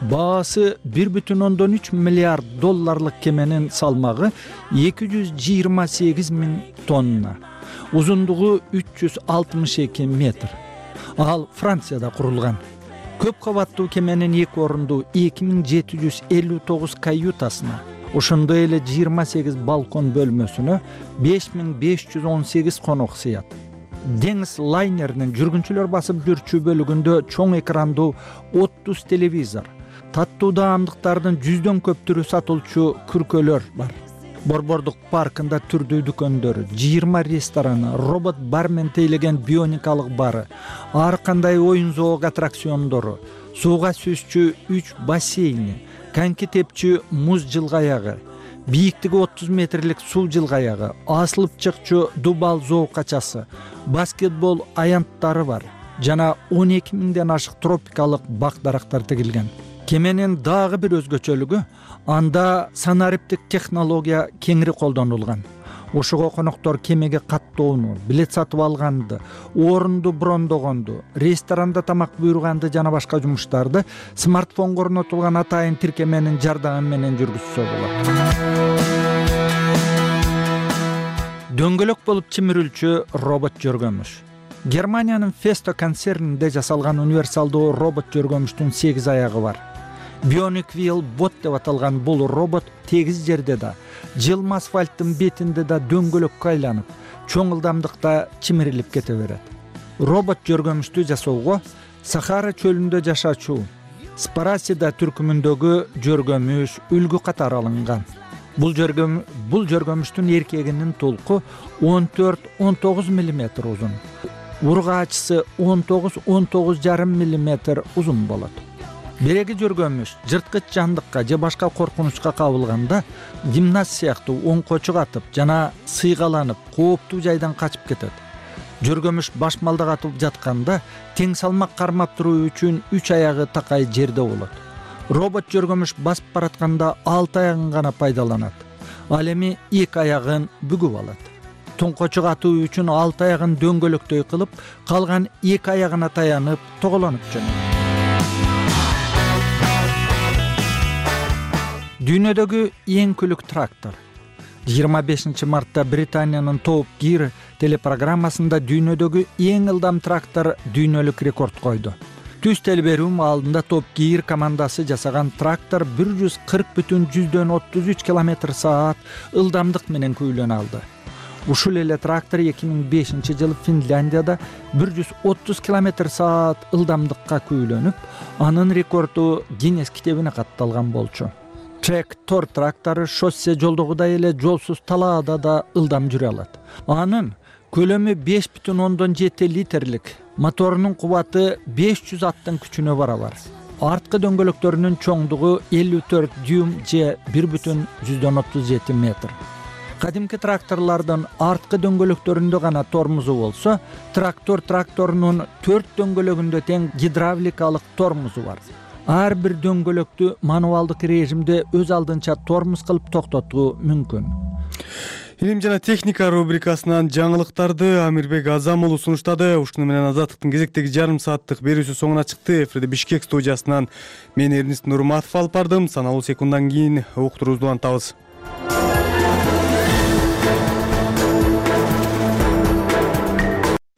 Баасы 1,3 миллиард долларлык кеменин салмагы 228 000 тонна. Узундугу 362 метр. Ал Францияда курулган. Көп кабаттуу кеменин 2 орунду 2759 каютасына, ошондой эле 28 балкон бөлмөсүнө 5518 конок сыят. Деңиз лайнеринин жүргүнчүлөр басып жүрчү бөлүгүндө чоң экрандуу 30 телевизор, таттуу даамдыктардын 100дөн көп түрү сатылчу күркөлөр бар. Борбордук паркында түрдүү дүкөндөр, 20 рестораны, робот бармен тейлеген бионикалык бары, ар кандай оюн зоок аттракциондору, сууга сүзчү 3 бассейни, коньки тепчү муз жылгаягы, бийиктиги 30 метрлик суу жылгаягы, асылып чыкчу дубал зоокачасы, баскетбол аянттары бар жана 12 000ден ашык тропикалык бак-дарактар тигилген. Кеменин дагы бир өзгөчөлүгү анда санариптик технология кеңири колдонулган. Ошого коноктор кемеге каттоону, билет сатып алганды, орунду брондогонду, ресторанда тамак буйруганды жана башка жумуштарды смартфонго орнотулган атайын тиркеменин жардамы менен жүргүзсө болот. Дөңгөлөк болуп чимирилчү робот жөргөмүш. Германиянын Festo концернинде жасалган универсалдуу робот жөргөмүштүн 8 аягы бар. Bionic Wheel Bot деп аталган бул робот тегиз жерде да, жылма асфальттын бетинде да дөңгөлөккө айланып, чоң ылдамдыкта чимирилип кете берет. Робот жөргөмүштү жасоого Сахара чөлүндө жашачу Спарасида түркүмүндөгү жөргөмүш үлгү катары алынган. Бул жөргөмүштүн эркегинин толку 14-19 мм узун. Ургаачысы 19-19,5 мм узун болот. Береги жөргөмүш жырткыч жандыкка же башка коркунучка кабылганда гимнаст сыяктуу оңко чыгатып жана сыйгаланып кооптуу жайдан качып кетет. Жөргөмүш башмалдак атып жатканда тең салмак кармап туруу үчүн 3 аягы такай жерде болот. Робот жөргөмүш басып баратканда 6 аягын гана пайдаланат. Ал эми 2 аягын бүгүп алат. Тоңко чыгатуу үчүн 6 аягын дөңгөлөктөй кылып, калган 2 аягына таянып тоголонуп жөнөйт. Дүйнөдөгү эң күлүк трактор. 25 мартта Британиянын Top Gear телепрограммасында дүйнөдөгү эң ылдам трактор дүйнөлүк рекорд койду. Түз телберүү маалында Top Gear командасы жасаган трактор 140,33 км/саат ылдамдык менен күйлөнө алды. Ушул эле трактор 2005-жылы Финляндияда 130 км/саат ылдамдыкка күйлөнүп, анын рекорду Гиннес китебине катталган болчу. Трактор трактору шоссе жолдогудай эле жолсуз талаада да ылдам жүрө алат. Анын көлөмү 5,7 литрлик, моторунун кубаты 500 аттын күчүнө барабар. Арткы дөңгөлөктөрүнүн чоңдугу 54 дюйм же 1,37 метр. кадимки тракторлордун арткы дөңгөлөктөрүндө гана тормозу болсо, тракторунун 4 дөңгөлөгүндө тең гидравликалык тормозу бар. Ар бир дөңгөлөктү мануалдык режимде өз алдынча тормоз кылып токтотуу мүмкүн. Илим жана техника рубрикасынан жаңылыктарды Амирбек Азамулу сунуштады. Ушуну менен Азаттыктын кезектеги жарым сааттык берүүсү соңуна чыкты. Эфирде Бишкек студиясынан мен Эрнист Нурматов алып бардым. Саналуу секунддан кийин уктуруубузду улантабыз.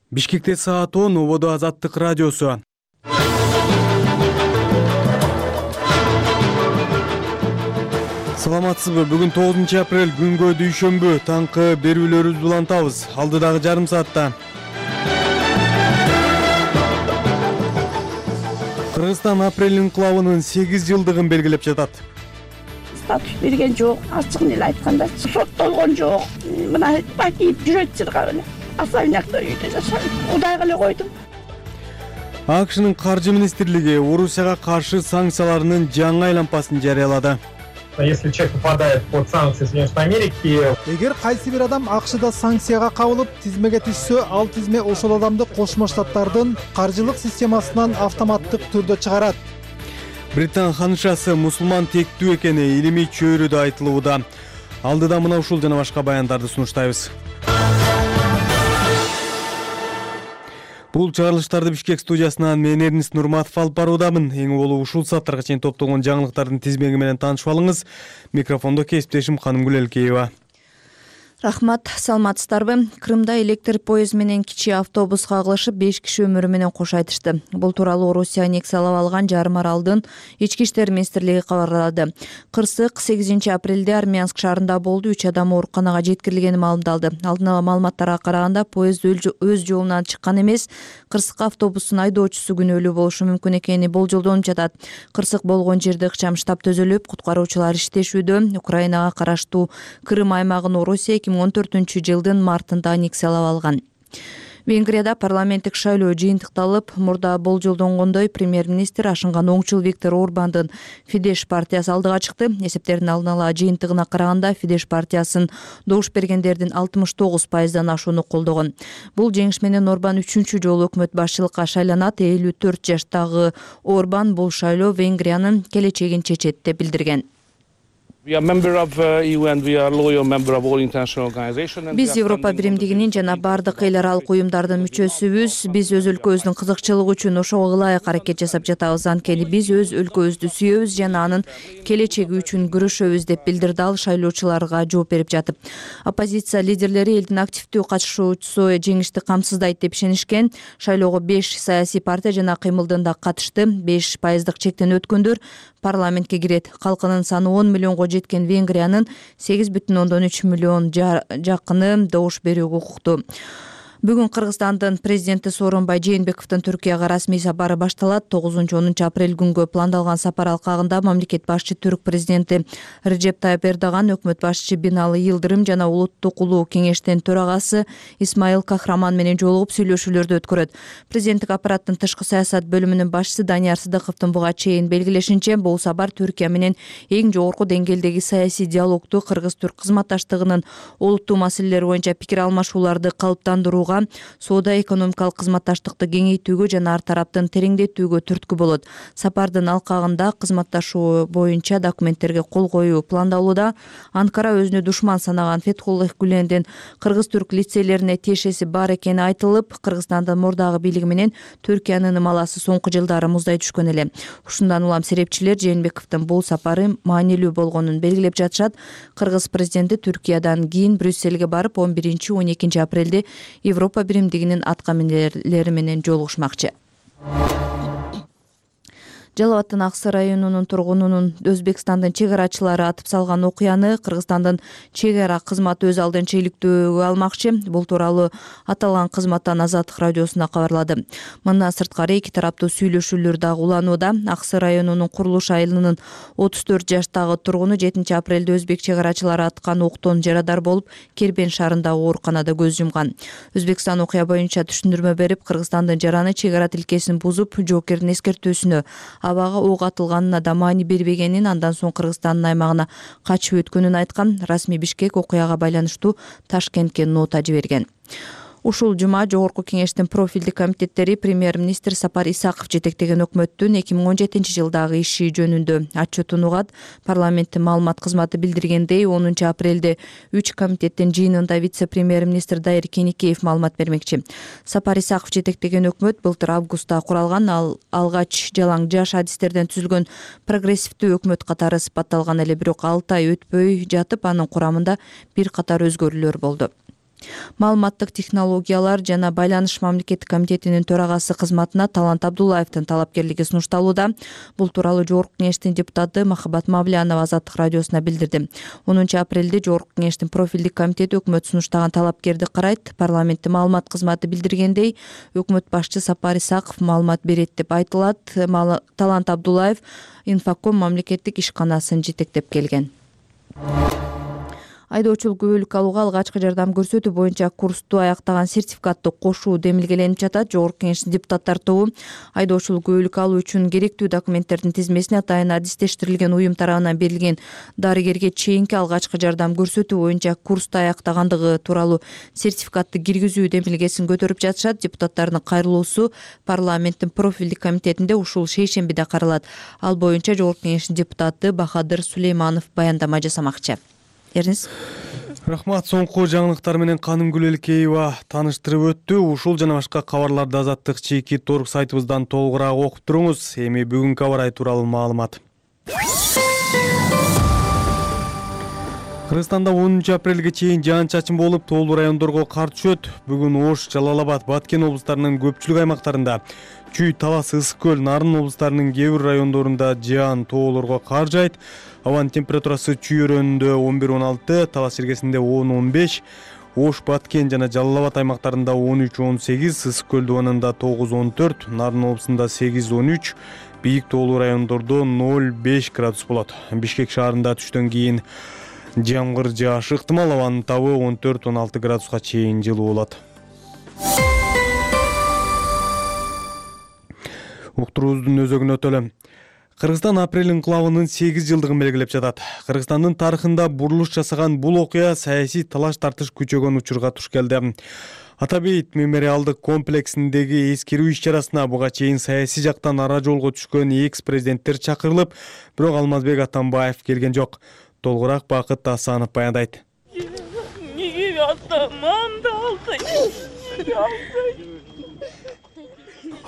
Бишкекте саат 10, ободо Азаттык радиосу. Саламатсызбы? Бүгүн 9 апрель күнгө дүйшөмбү. Таңкы берүүлөрүбүздү улантабыз. Алдыдагы жарым саатта Кыргызстан апрель инкылабынын 8 жылдыгын белгилеп жатат. Статус берген жок, ачыгын эле айтканда соттолгон жок. Мына бакип жүрөт чырга эле. Особнякта үйдө жашайт. Кудайга эле койдум. АКШнын каржы министрлиги Орусияга каршы санкцияларынын жаңы айлампасын жарыялады. Если человек попадает под санкции Соединенных Америки, эгер кайсы бир адам АКШда санкцияга кабылып тизмеге түшсө, ал тизме ошол адамды Кошмо Штаттардын каржылык системасынан автоматтык түрдө чыгарат. Британ ханышасы мусулман тектүү экени илимий чөйрөдө айтылууда. Алдыда мына ушул жана башка баяндарды сунуштайбыз. Бул чыгарылыштарды Бишкек студиясынан мен Эрнист Нурматов алып баруудамын. Эң болуп ушул сааттарга чейин топтолгон жаңылыктардын тизмеги менен таанышып алыңыз. Микрофондо кесиптешим Канымгүл Элкеева. Рахмат, саламатсыздарбы? Крымда электр поезд менен кичи автобус кагылышып 5 киши өмүрү менен кош айтышты. Бул тууралуу Орусия аннексиялап алган жарым аралдын Ички иштер министрлиги кабарлады. Кырсык 8 апрелде Армянск шаарында болду. 3 адам ооруканага жеткирилгени маалымдалды. Алдын ала маалыматтарга караганда поезд өз жолунан чыккан эмес. Кырсык автобустун айдоочусу күнөөлүү болушу мүмкүн экени болжолдонуп жатат. Кырсык болгон жерде ыкчам штаб төзөлүп, куткаруучулар иштешүүдө. Украинага караштуу Крым аймагын Орусия 2014 жылдын мартында аннексиялап алган. Венгрияда парламенттик шайлоо жыйынтыкталып, мурда болжолдонгондой премьер-министр ашынган оңчул Виктор Орбандын Фидеш партиясы алдыга чыкты. Эсептердин алдын ала жыйынтыгына караганда Фидеш партиясын добуш бергендердин 69%дан ашууну колдогон. Бул жеңиш менен Орбан 3-чү жолу өкмөт башчылыкка шайланат. 54 жаштагы Орбан бул шайлоо Венгриянын келечегин чечет деп билдирген. Биз Европа биримдигинин жана бардык эл аралык уюмдардын мүчөсүбүз. Биз өз өлкөбүздүн кызыкчылыгы үчүн ошого ылайык аракет жасап жатабыз. Анткени биз өз өлкөбүздү сүйөбүз жана анын келечеги үчүн күрөшөбүз деп билдирди ал шайлоочуларга жооп берип жатып. Оппозиция лидерлери элдин активдүү катышуучусу жеңишти камсыздайт деп ишенишкен. Шайлоого 5 саясий партия жана кыймылдын да катышты. 5% чектен өткөндөр парламентке кирет. Калкынын саны 10 миллионго жеткен Венгриянын 8,3 миллион жакыны добуш берүүгө укуктуу. Бүгүн Кыргызстандын президенти Сооронбай Жээнбековдун Түркияга расмий сапары башталат. 9-10 апрель күнгө пландалган сапар алкагында мамлекет башчы түрк президенти Реджеп Тайып Эрдоган, өкмөт башчы Бинали Йылдырым жана улуттук улуу кеңештин төрагасы Исмаил Кахраман менен жолугуп сүйлөшүүлөрдү өткөрөт. Президенттик аппараттын тышкы саясат бөлүмүнүн башчысы Данияр Сыдыковдун буга чейин белгилешинче, бул сапар Түркия менен эң жогорку деңгээлдеги саясий диалогду, кыргыз-түрк кызматташтыгынын олуттуу маселелери боюнча пикир алмашууларды калыптандырууга, соода-экономикалык кызматташтыкты кеңейтүүгө жана ар тараптын тереңдетүүгө түрткү болот. Сапардын алкагында кызматташуу боюнча документтерге кол коюу пландалууда. Анкара өзүнү душман санаган Фетхуллах Гүлендин кыргыз-түрк лицейлерине тиешеси бар экени айтылып, Кыргызстандын мурдагы бийлиги менен Түркиянын ымаласы соңку жылдары муздай түшкөн эле. Ушундан улам серепчилер Жээнбековдун бул сапары маанилүү болгонун белгилеп жатышат. Кыргыз президенти Түркиядан кийин Брюссельге барып 11-12 апрелде Европа биримдигинин аткаминерлери менен жолугушмакчы. Жалал Абадтын Аксы районунун тургунунун Өзбекстандын чек арачылары атып салган окуяны Кыргызстандын чек ара кызматы өз алдынча иликтөөгө алмакчы. Бул тууралуу аталган кызматтан Азаттык радиосуна кабарлады. Мындан сырткары эки тараптуу сүйлөшүүлөр дагы уланууда. Аксы районунун Курулуш айылынын 34 жаштагы тургуну 7 апрелде өзбек чек арачылары аткан октон жарадар болуп, Кербен шаарындагы ооруканада көз жумган. Өзбекстан окуя боюнча түшүндүрмө берип, Кыргызстандын жараны чек ара тилкесин бузуп, жоокердин эскертүүсүнө абага ок атылганына да маани бербегенин, андан соң Кыргызстандын аймагына качып өткөнүн айткан. Расмий Бишкек окуяга байланыштуу Ташкентке нота жиберген. Ушул жума Жогорку Кеңештин профилдик комитеттери премьер-министр Сапар Исаков жетектеген өкмөттүн 2017-жылдагы иши жөнүндө отчетун угат. Парламенттин маалымат кызматы билдиргендей, 10 апрелде 3 комитеттин жыйынында вице-премьер-министр Дайыр Кеникеев маалымат бермекчи. Сапар Исаков жетектеген өкмөт былтыр августта куралган, ал алгач жалаң жаш адистерден түзүлгөн прогрессивдүү өкмөт катары сыпатталган эле, бирок 6 ай өтпөй жатып анын курамында бир катар өзгөрүүлөр болду. Маалыматтык технологиялар жана байланыш мамлекеттик комитетинин төрагасы кызматына Талант Абдуллаевдин талапкерлиги сунушталууда. Бул тууралуу Жогорку Кеңештин депутаты Махабат Мавлянова Азаттык радиосуна билдирди. 10 апрелде Жогорку Кеңештин профилдик комитети өкмөт сунуштаган талапкерди карайт. Парламенттин маалымат кызматы билдиргендей, өкмөт башчы Сапар Исаков маалымат берет деп айтылат. Талант Абдуллаев Инфоком мамлекеттик ишканасын жетектеп келген. Айдоочулук күбөлүк алууга алгачкы жардам көрсөтүү боюнча курсту аяктаган сертификатты кошуу демилгеленип жатат. Жогорку Кеңештин депутаттар тобу айдоочулук күбөлүк алуу үчүн керектүү документтердин тизмесине атайын адистештирилген уюм тарабынан берилген дарыгерге чейинки алгачкы жардам көрсөтүү боюнча курсту аяктагандыгы тууралуу сертификатты киргизүү демилгесин көтөрүп жатышат. Депутаттардын кайрылуусу парламенттин профилдик комитетинде ушул шейшембиде каралат. Ал боюнча Жогорку Кеңештин депутаты Бахадыр Сулейманов баяндама жасамакчы. Рахмат. Соңку жаңылыктар менен Канымгүл Элкеева тааныштырып өттү. Ушул жана башка кабарларды Азаттык чийки торг сайтыбыздан толугураак окуп туруңуз. Эми бүгүнкү аба ырайы тууралуу маалымат. Кыргызстанда 10 апрелге чейин жаан-чачын болуп, тоолуу райондорго кар түшөт. Бүгүн Ош, Жалал Абад, Баткен облустарынын көпчүлүк аймактарында, Чүй, Талас, Ысык көл, Нарын облустарынын кээ бир райондорунда жаан, тоолорго кар жайт. Абанын температурасы Чүй өрөөнүндө 11-16, Талас жергесинде 10-15, Ош, Баткен жана Жалал Абад аймактарында 13-18, Ысык көл дубанында 9-14, Нарын облусунда 8-13, бийик тоолуу райондордо 0-5 градус болот. Бишкек шаарында түштөн кийин жамгыр жаашы ыктымал, абанын табы 14-16 градуска чейин жылуу болот. Уктуруубуздун өзөгүнө өтөлү. Кыргызстан апрель инкылабынын 8 жылдыгын белгилеп жатат. Кыргызстандын тарыхында бурулуш жасаган бул окуя саясий талаш тартыш күчөгөн учурга туш келди. Атабейт мемориалдык комплексиндеги эскерүү иш-чарасына буга чейин саясий жактан ара жолго түшкөн экс-президенттер чакырылып, бирок Алмазбек Атамбаев келген жок. Толугураак Бакыт Асанов баяндайт.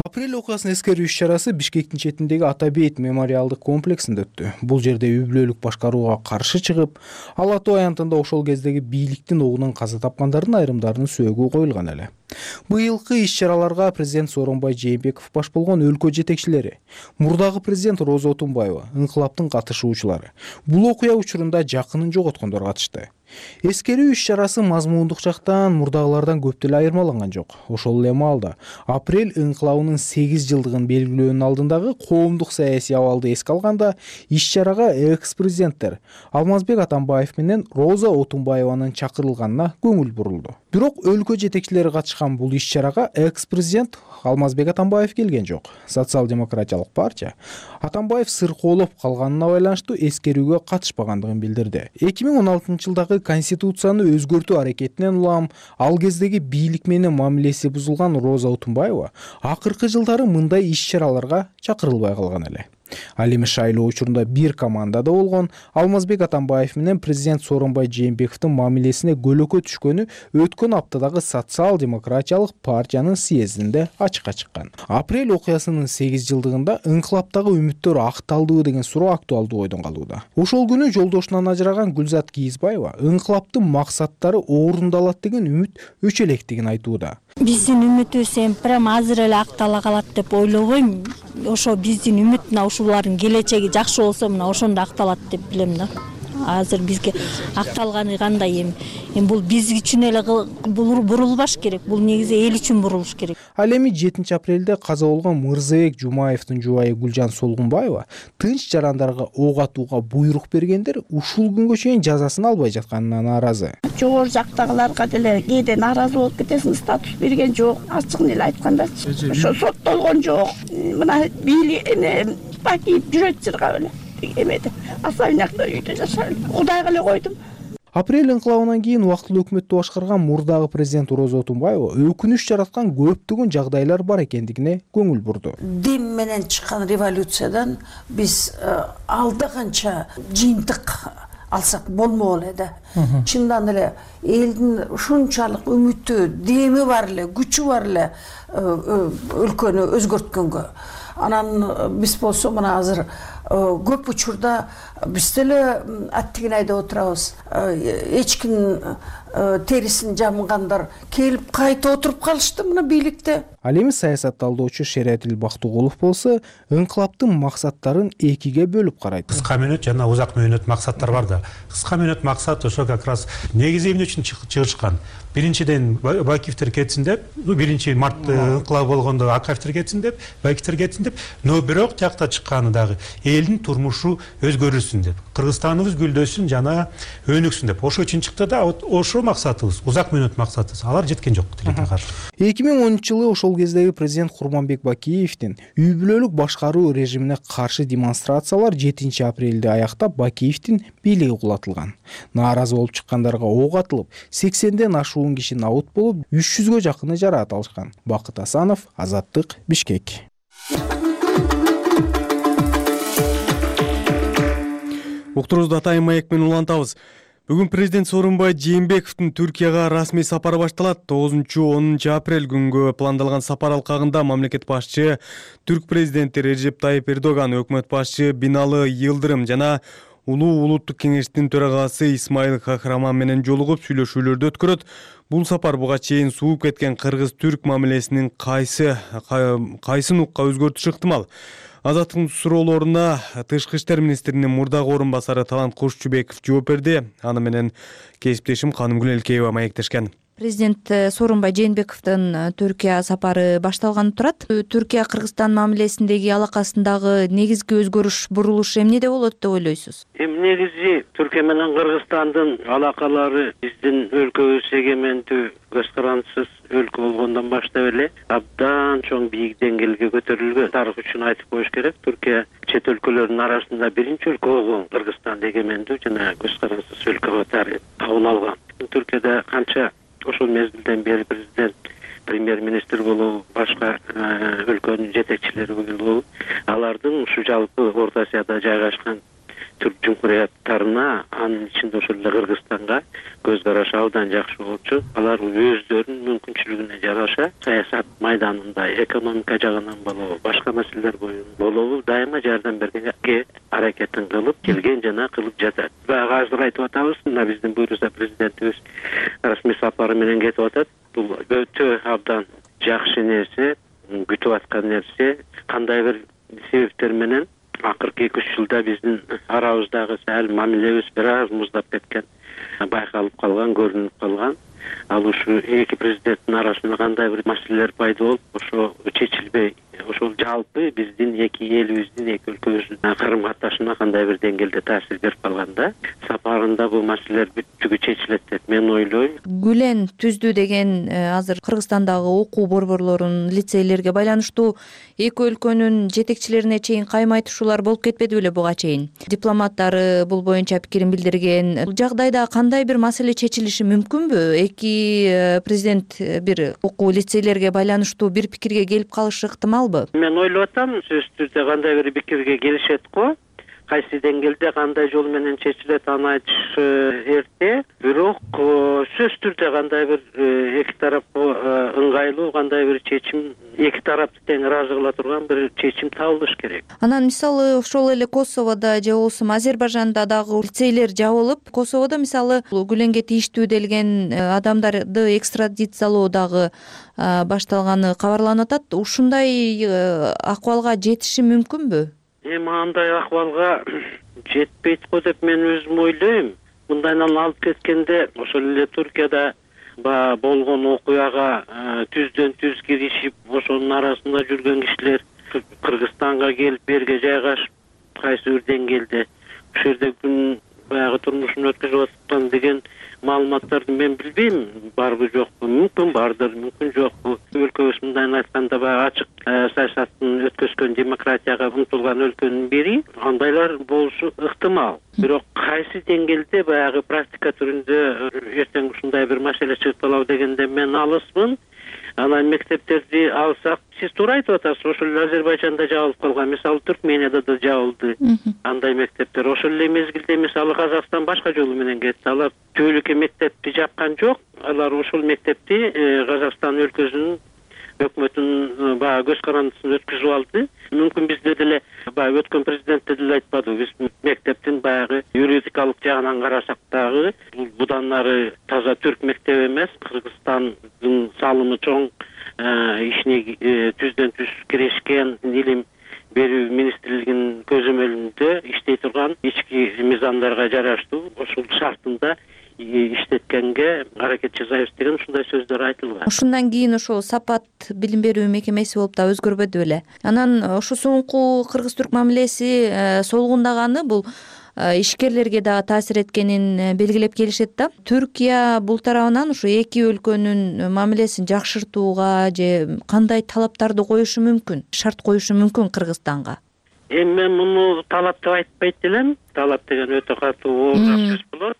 Апрель окуясын эскерүү иш-чарасы Бишкектин четиндеги Атабейт мемориалдык комплексинде өттү. Бул жерде үй-бүлөлүк башкарууга каршы чыгып, Ала Тоо аянтында ошол кездеги бийликтин огунан каза тапкандардын айрымдарынын сөөгү коюлган эле. Быйылкы иш-чараларга президент Сооронбай Жээнбеков баш болгон өлкө жетекчилери, мурдагы президент Роза Отунбаева, инкылаптын катышуучулары, бул окуя учурунда жакынын жоготкондор катышты. Эскерүү иш-чарасы мазмундук жактан мурдагылардан көп деле айырмаланган жок. Ошол эле маалда апрель инкылабынын 8 жылдыгын белгилөөнүн алдындагы коомдук саясий абалды эске алганда, иш-чарага экс-президенттер Алмазбек Атамбаев менен Роза Отунбаеванын чакырылганына көңүл бурулду. Бирок өлкө жетекчилери катышкан бул иш-чарага экс-президент Алмазбек Атамбаев келген жок. Социал-демократиялык партия Атамбаев сыркоолоп калганына байланыштуу эскерүүгө катышпагандыгын билдирди. 2016-жылдагы конституцияны өзгөртүү аракетинен улам ал кездеги бийлик менен мамилеси бузулган Роза Отунбаева акыркы жылдары мындай иш-чараларга чакырылбай калган эле. Ал эми шайлоо учурунда бир командада болгон Алмазбек Атамбаев менен президент Сооронбай Жээнбековдун мамилесине көлөкө түшкөнү өткөн аптадагы социал-демократиялык партиянын съездинде ачыкка чыккан. Апрель окуясынын 8 жылдыгында инкылаптагы үмүттөр акталдыбы деген суроо актуалдуу ойдон калууда. Ошол күнү жолдошунан ажыраган Гүлзат Кийизбаева инкылаптын максаттары орундалат деген үмүт өчө электигин айтууда. Биздин үмүтүбүз эми прям азыр эле актала калат деп ойлобойм. Ошо биздин үмүт мына ушулардын келечеги жакшы болсо мына ошондо акталат деп билем да. Азыр бизге акталганы кандай эми бул биз үчүн эле бурулбаш керек. Бул негизи эл үчүн бурулуш керек. Ал эми 7 апрелде каза болгон Мырзабек Жумаевдин жубайы Гүлжан Солгунбаева тынч жарандарга ок атууга буйрук бергендер ушул күнгө чейин жазасын албай жатканына нааразы. Жогору жактагыларга деле кээде нааразы болуп кетесиң, статус берген жок. Ачыгын эле айтканда ошо соттолгон жок. Мына кийип жүрөт чырга эле эмеде особнякта үйдө жашайм. Кудайга эле койдум. Апрель инкылабынан кийин убактылуу өкмөттү башкарган мурдагы президент Роза Отунбаева өкүнүч жараткан көптөгөн жагдайлар бар экендигине көңүл бурду. Дем менен чыккан революциядан биз алда канча жыйынтык алсак болмок эле да. Чындан эле элдин ушунчалык үмүтү, деми бар эле, күчү бар эле өлкөнү өзгөрткөнгө. Анан биз болсо мына азыр көп учурда биз деле аттигин айдап отурабыз. Эч ким терисин жамгандар келип кайта отуруп калышты мына бийликте. Ал эми саясат талдоочу Шериатил Бактыгулов болсо инкылаптын максаттарын экиге бөлүп карайт. Кыска мөөнөт жана узак мөөнөт максаттар бар да. Кыска мөөнөт максат ошо как раз негизи эмне үчүн чыгышкан. Биринчиден Бакиевтер кетсин деп, 1-март инкылабы болгондо Акаевтер кетсин деп, Бакиевтер кетсин деп, но бирок тиякта чыкканы дагы элдин турмушу өзгөрүлсүн деп, Кыргызстаныбыз гүлдөсүн жана өнүксүн деп. Ошо үчүн чыкты да, ошо максатыбыз, узак мөөнөт максатыбыз. Алар жеткен жок тилекке каршы. 2010-жылы ошол кездеги президент Курманбек Бакиевдин үй бүлөлүк башкаруу режимине каршы демонстрациялар 7 апрелде аяктап Бакиевдин бийлиги кулатылган. Нааразы болуп чыккандарга ок атылып, 80ден ашуун киши набут болуп, 300гө жакыны жараат алышкан. Бакыт Асанов, Азаттык, Бишкек. Уктурубузду Атайын маек менен улантабыз. Бүгүн президент Сооронбай Жээнбековдун Түркияга расмий сапары башталат. 9-10 апрель күнгө пландалган сапар алкагында мамлекет башчы түрк президенти Режеп Тайип Эрдоган, өкмөт башчы Биналы Йылдырым жана Улуу улуттук кеңештин төрагасы Исмаил Кахраман менен жолугуп сүйлөшүүлөрдү өткөрөт. Бул сапар буга чейин сууп кеткен кыргыз-түрк мамилесинин кайсын укка өзгөртүшү ыктымал. Азаттыктын суроолоруна Тышкы иштер министринин мурдагы орун басары Талант Кошчубеков жооп берди. Аны менен кесиптешим Канымгүл Элкеева маектешкен. Президент Сооронбай Жээнбековдун Түркия сапары башталганы турат. Түркия Кыргызстан мамилесиндеги алакасындагы негизги өзгөрүш, бурулуш эмнеде болот деп ойлойсуз? Негизи Түркия менен Кыргызстандын алакалары биздин өлкөбүз эгемендүү көз карандысыз өлкө болгондон баштап эле абдан чоң бийик деңгээлге көтөрүлгөн. Тарых үчүн айтып коюш керек, Түркия чет өлкөлөрдүн арасында биринчи өлкө болгон. Кыргызстан эгемендүү жана көз карандысыз өлкө катары табын алган. Түркияда канча ошол мезгилден бери президент, премьер-министр болобу, башка өлкөнүн жетекчилери болобу, алардын ушу жалпы Орто Азияда жайгашкан түрк жумхурияттарына, анын ичинде ошол эле Кыргызстанга көз карашы абдан жакшы болчу. Алар өздөрүнүн мүмкүнчүлүгүнө жараша саясат майданында, экономика жагынан болобу, башка маселелер боюнда болобу дайыма жардам бергенге аракетин кылып келген жана кылып жатат. Баягы азыр айтып атабыз, мына биздин буйруса президентибиз расмий сапары менен кетип атат. Бул өтө абдан жакшы нерсе, күтүп аткан нерсе. Кандай бир себептер менен акыркы 2-3 жылда биздин арабыздагы сәл мамилебиз бир аз муздап кеткен, байкалып калган, көрүнүп калган. Ал ушу эки президенттин арасында кандай бир маселелер пайда болуп, ошо чечилбей, ошол жалпы биздин эки элибиздин, эки өлкөбүздүн карым катнашына кандай бир деңгээлде таасир берип калганда, сапарында бул маселелер бүттүгү чечилет деп мен ойлойм. Гүлен түздү деген азыр Кыргызстандагы окуу борборлорунун, лицейлерге байланыштуу эки өлкөнүн жетекчилерине чейин кайма айтышуулар болуп кетпеди беле буга чейин? Дипломаттары бул боюнча пикирин билдирген. Бул жагдайда кандай бир маселе чечилиши мүмкүнбү? Эки президент бир окуу лицейлерге байланыштуу бир пикирге келип калышы ыктымалбы? Мен ойлоп атам, сөзсүз түрдө кандай бир пикирге келишет го. Кайсы деңгээлде кандай жол менен чечилет аны айтыш эрте, бирок сөзсүз түрдө кандай бир эки тарапка ыңгайлуу кандай бир чечим, эки тарапты тең ыраазы кыла турган бир чечим табылыш керек. Анан мисалы ошол эле Косоводо же болбосо Азербайжанда дагы лицейлер жабылып, Косоводо мисалы Гүленге тийиштүү делген адамдарды экстрадициялоо дагы башталганы кабарланып атат. Ушундай акыбалга жетиши мүмкүнбү? Андай акыбалга жетпейт го деп мен өзүм ойлойм. Мындайдан алып кеткенде ошол эле Түркияда болгон окуяга түздөн түз киришип, ошонун арасында жүргөн кишилер Кыргызстанга келип берге жайгашып, кайсы бир деңгээлде ушул жерде күн баягы турмушун өткөзүп аткан деген маалыматтарды мен билбейм, барбы жокпу, мүмкүн бардыр, мүмкүн жокпу. Өлкөбүз мындайын айтканда баягы ачык саясаттын өткөзгөн демократияга умтулган өлкөнүн бири, андайлар болушу ыктымал. Бирок кайсы деңгээлде баягы практика түрүндө эртең ушундай бир маселе чыгып калабы дегенде мен алысмын. Анан мектептерди алсак, сиз туура айтып атасыз, ошол эле Азербайжанда жабылып калган, мисалы Түркменияда да жабылды андай мектептер. Ошол эле мезгилде мисалы Казакстан башка жолу менен кетти. Алар түбөлүккө мектепти жапкан жок, алар ошол мектепти Казакстан өлкөсүнүн өкмөтүнүн баягы көз карандысына өткүзүп алды. Мүмкүн бизде деле баягы өткөн президентте деле айтпадыбы, биз мектептин баягы юридикалык жагынан карасак дагы будан нары таза түрк мектеби эмес, Кыргызстандын салымы чоң, ишине түздөн түз кирешкен, илим берүү министрлигинин көзөмөлүндө иштей турган ички мыйзамдарга жараштуу ошол шартында иштеткенге аракет жасайбыз деген ушундай сөздөр айтылган. Ошондон кийин ошол Сапат билим берүү мекемеси болуп да өзгөрбөдү беле. Анан ошо соңку кыргыз-түрк мамилеси солгундаганы бул ишкерлерге дагы таасир эткенин белгилеп келишет да. Түркия бул тарабынан ушу эки өлкөнүн мамилесин жакшыртууга же кандай талаптарды коюшу мүмкүн, шарт коюшу мүмкүн Кыргызстанга? Эми мен муну талап деп айтпайт элем. Талап деген өтө катуу оор сөз болот.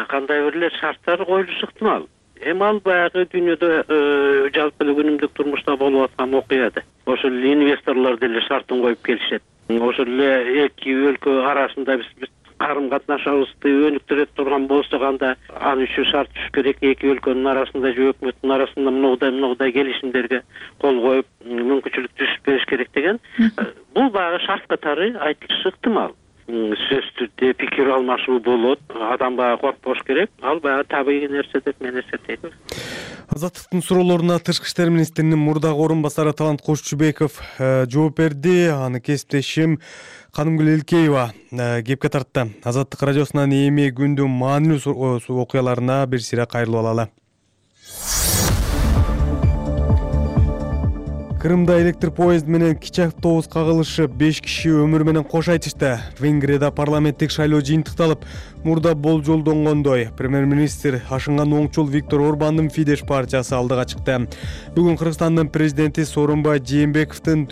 Кандай бир эле шарттар коюлушу ыктымал. Эми ал баягы дүйнөдө жалпы эле күнүмдүк турмушта болуп аткан окуя да. Ошол эле инвесторлор деле шартын коюп келишет. Ошол эле эки өлкө арасында биз карым катнашыбызды өнүктүрө турган болсок, анда ал үчүн шарт түшүш керек. Эки өлкөнүн арасында же өкмөттүн арасында мындай келишимдерге кол коюп мүмкүнчүлүк түзүп бериш керек деген. Бул баягы шарт катары айтылышы ыктымал. Сөз түрдө пикир алмашуу болот, адам баягы коркпош керек. Ал баягы табигый нерсе деп мен эсептейм. Азаттыктын суроолоруна Тышкы иштер министринин мурдагы орун басары Талант Кошчубеков жооп берди. Аны кесиптешим Канымгүл Элкеева кепке тартты. Азаттык радиосунан эми күндүн маанилүү окуяларына бир сыйра кайрылып алалы. Кырымда электр поезд менен кичи автобус кагылышып, 5 киши өмүрү менен кош айтышты. Венгрияда парламенттик шайлоо жыйынтыкталып, мурда болжолдонгондой премьер-министр ашынган оңчул Виктор Орбандын Фидеш партиясы алдыга чыкты. Бүгүн Кыргызстандын президенти Сооронбай Жээнбековдун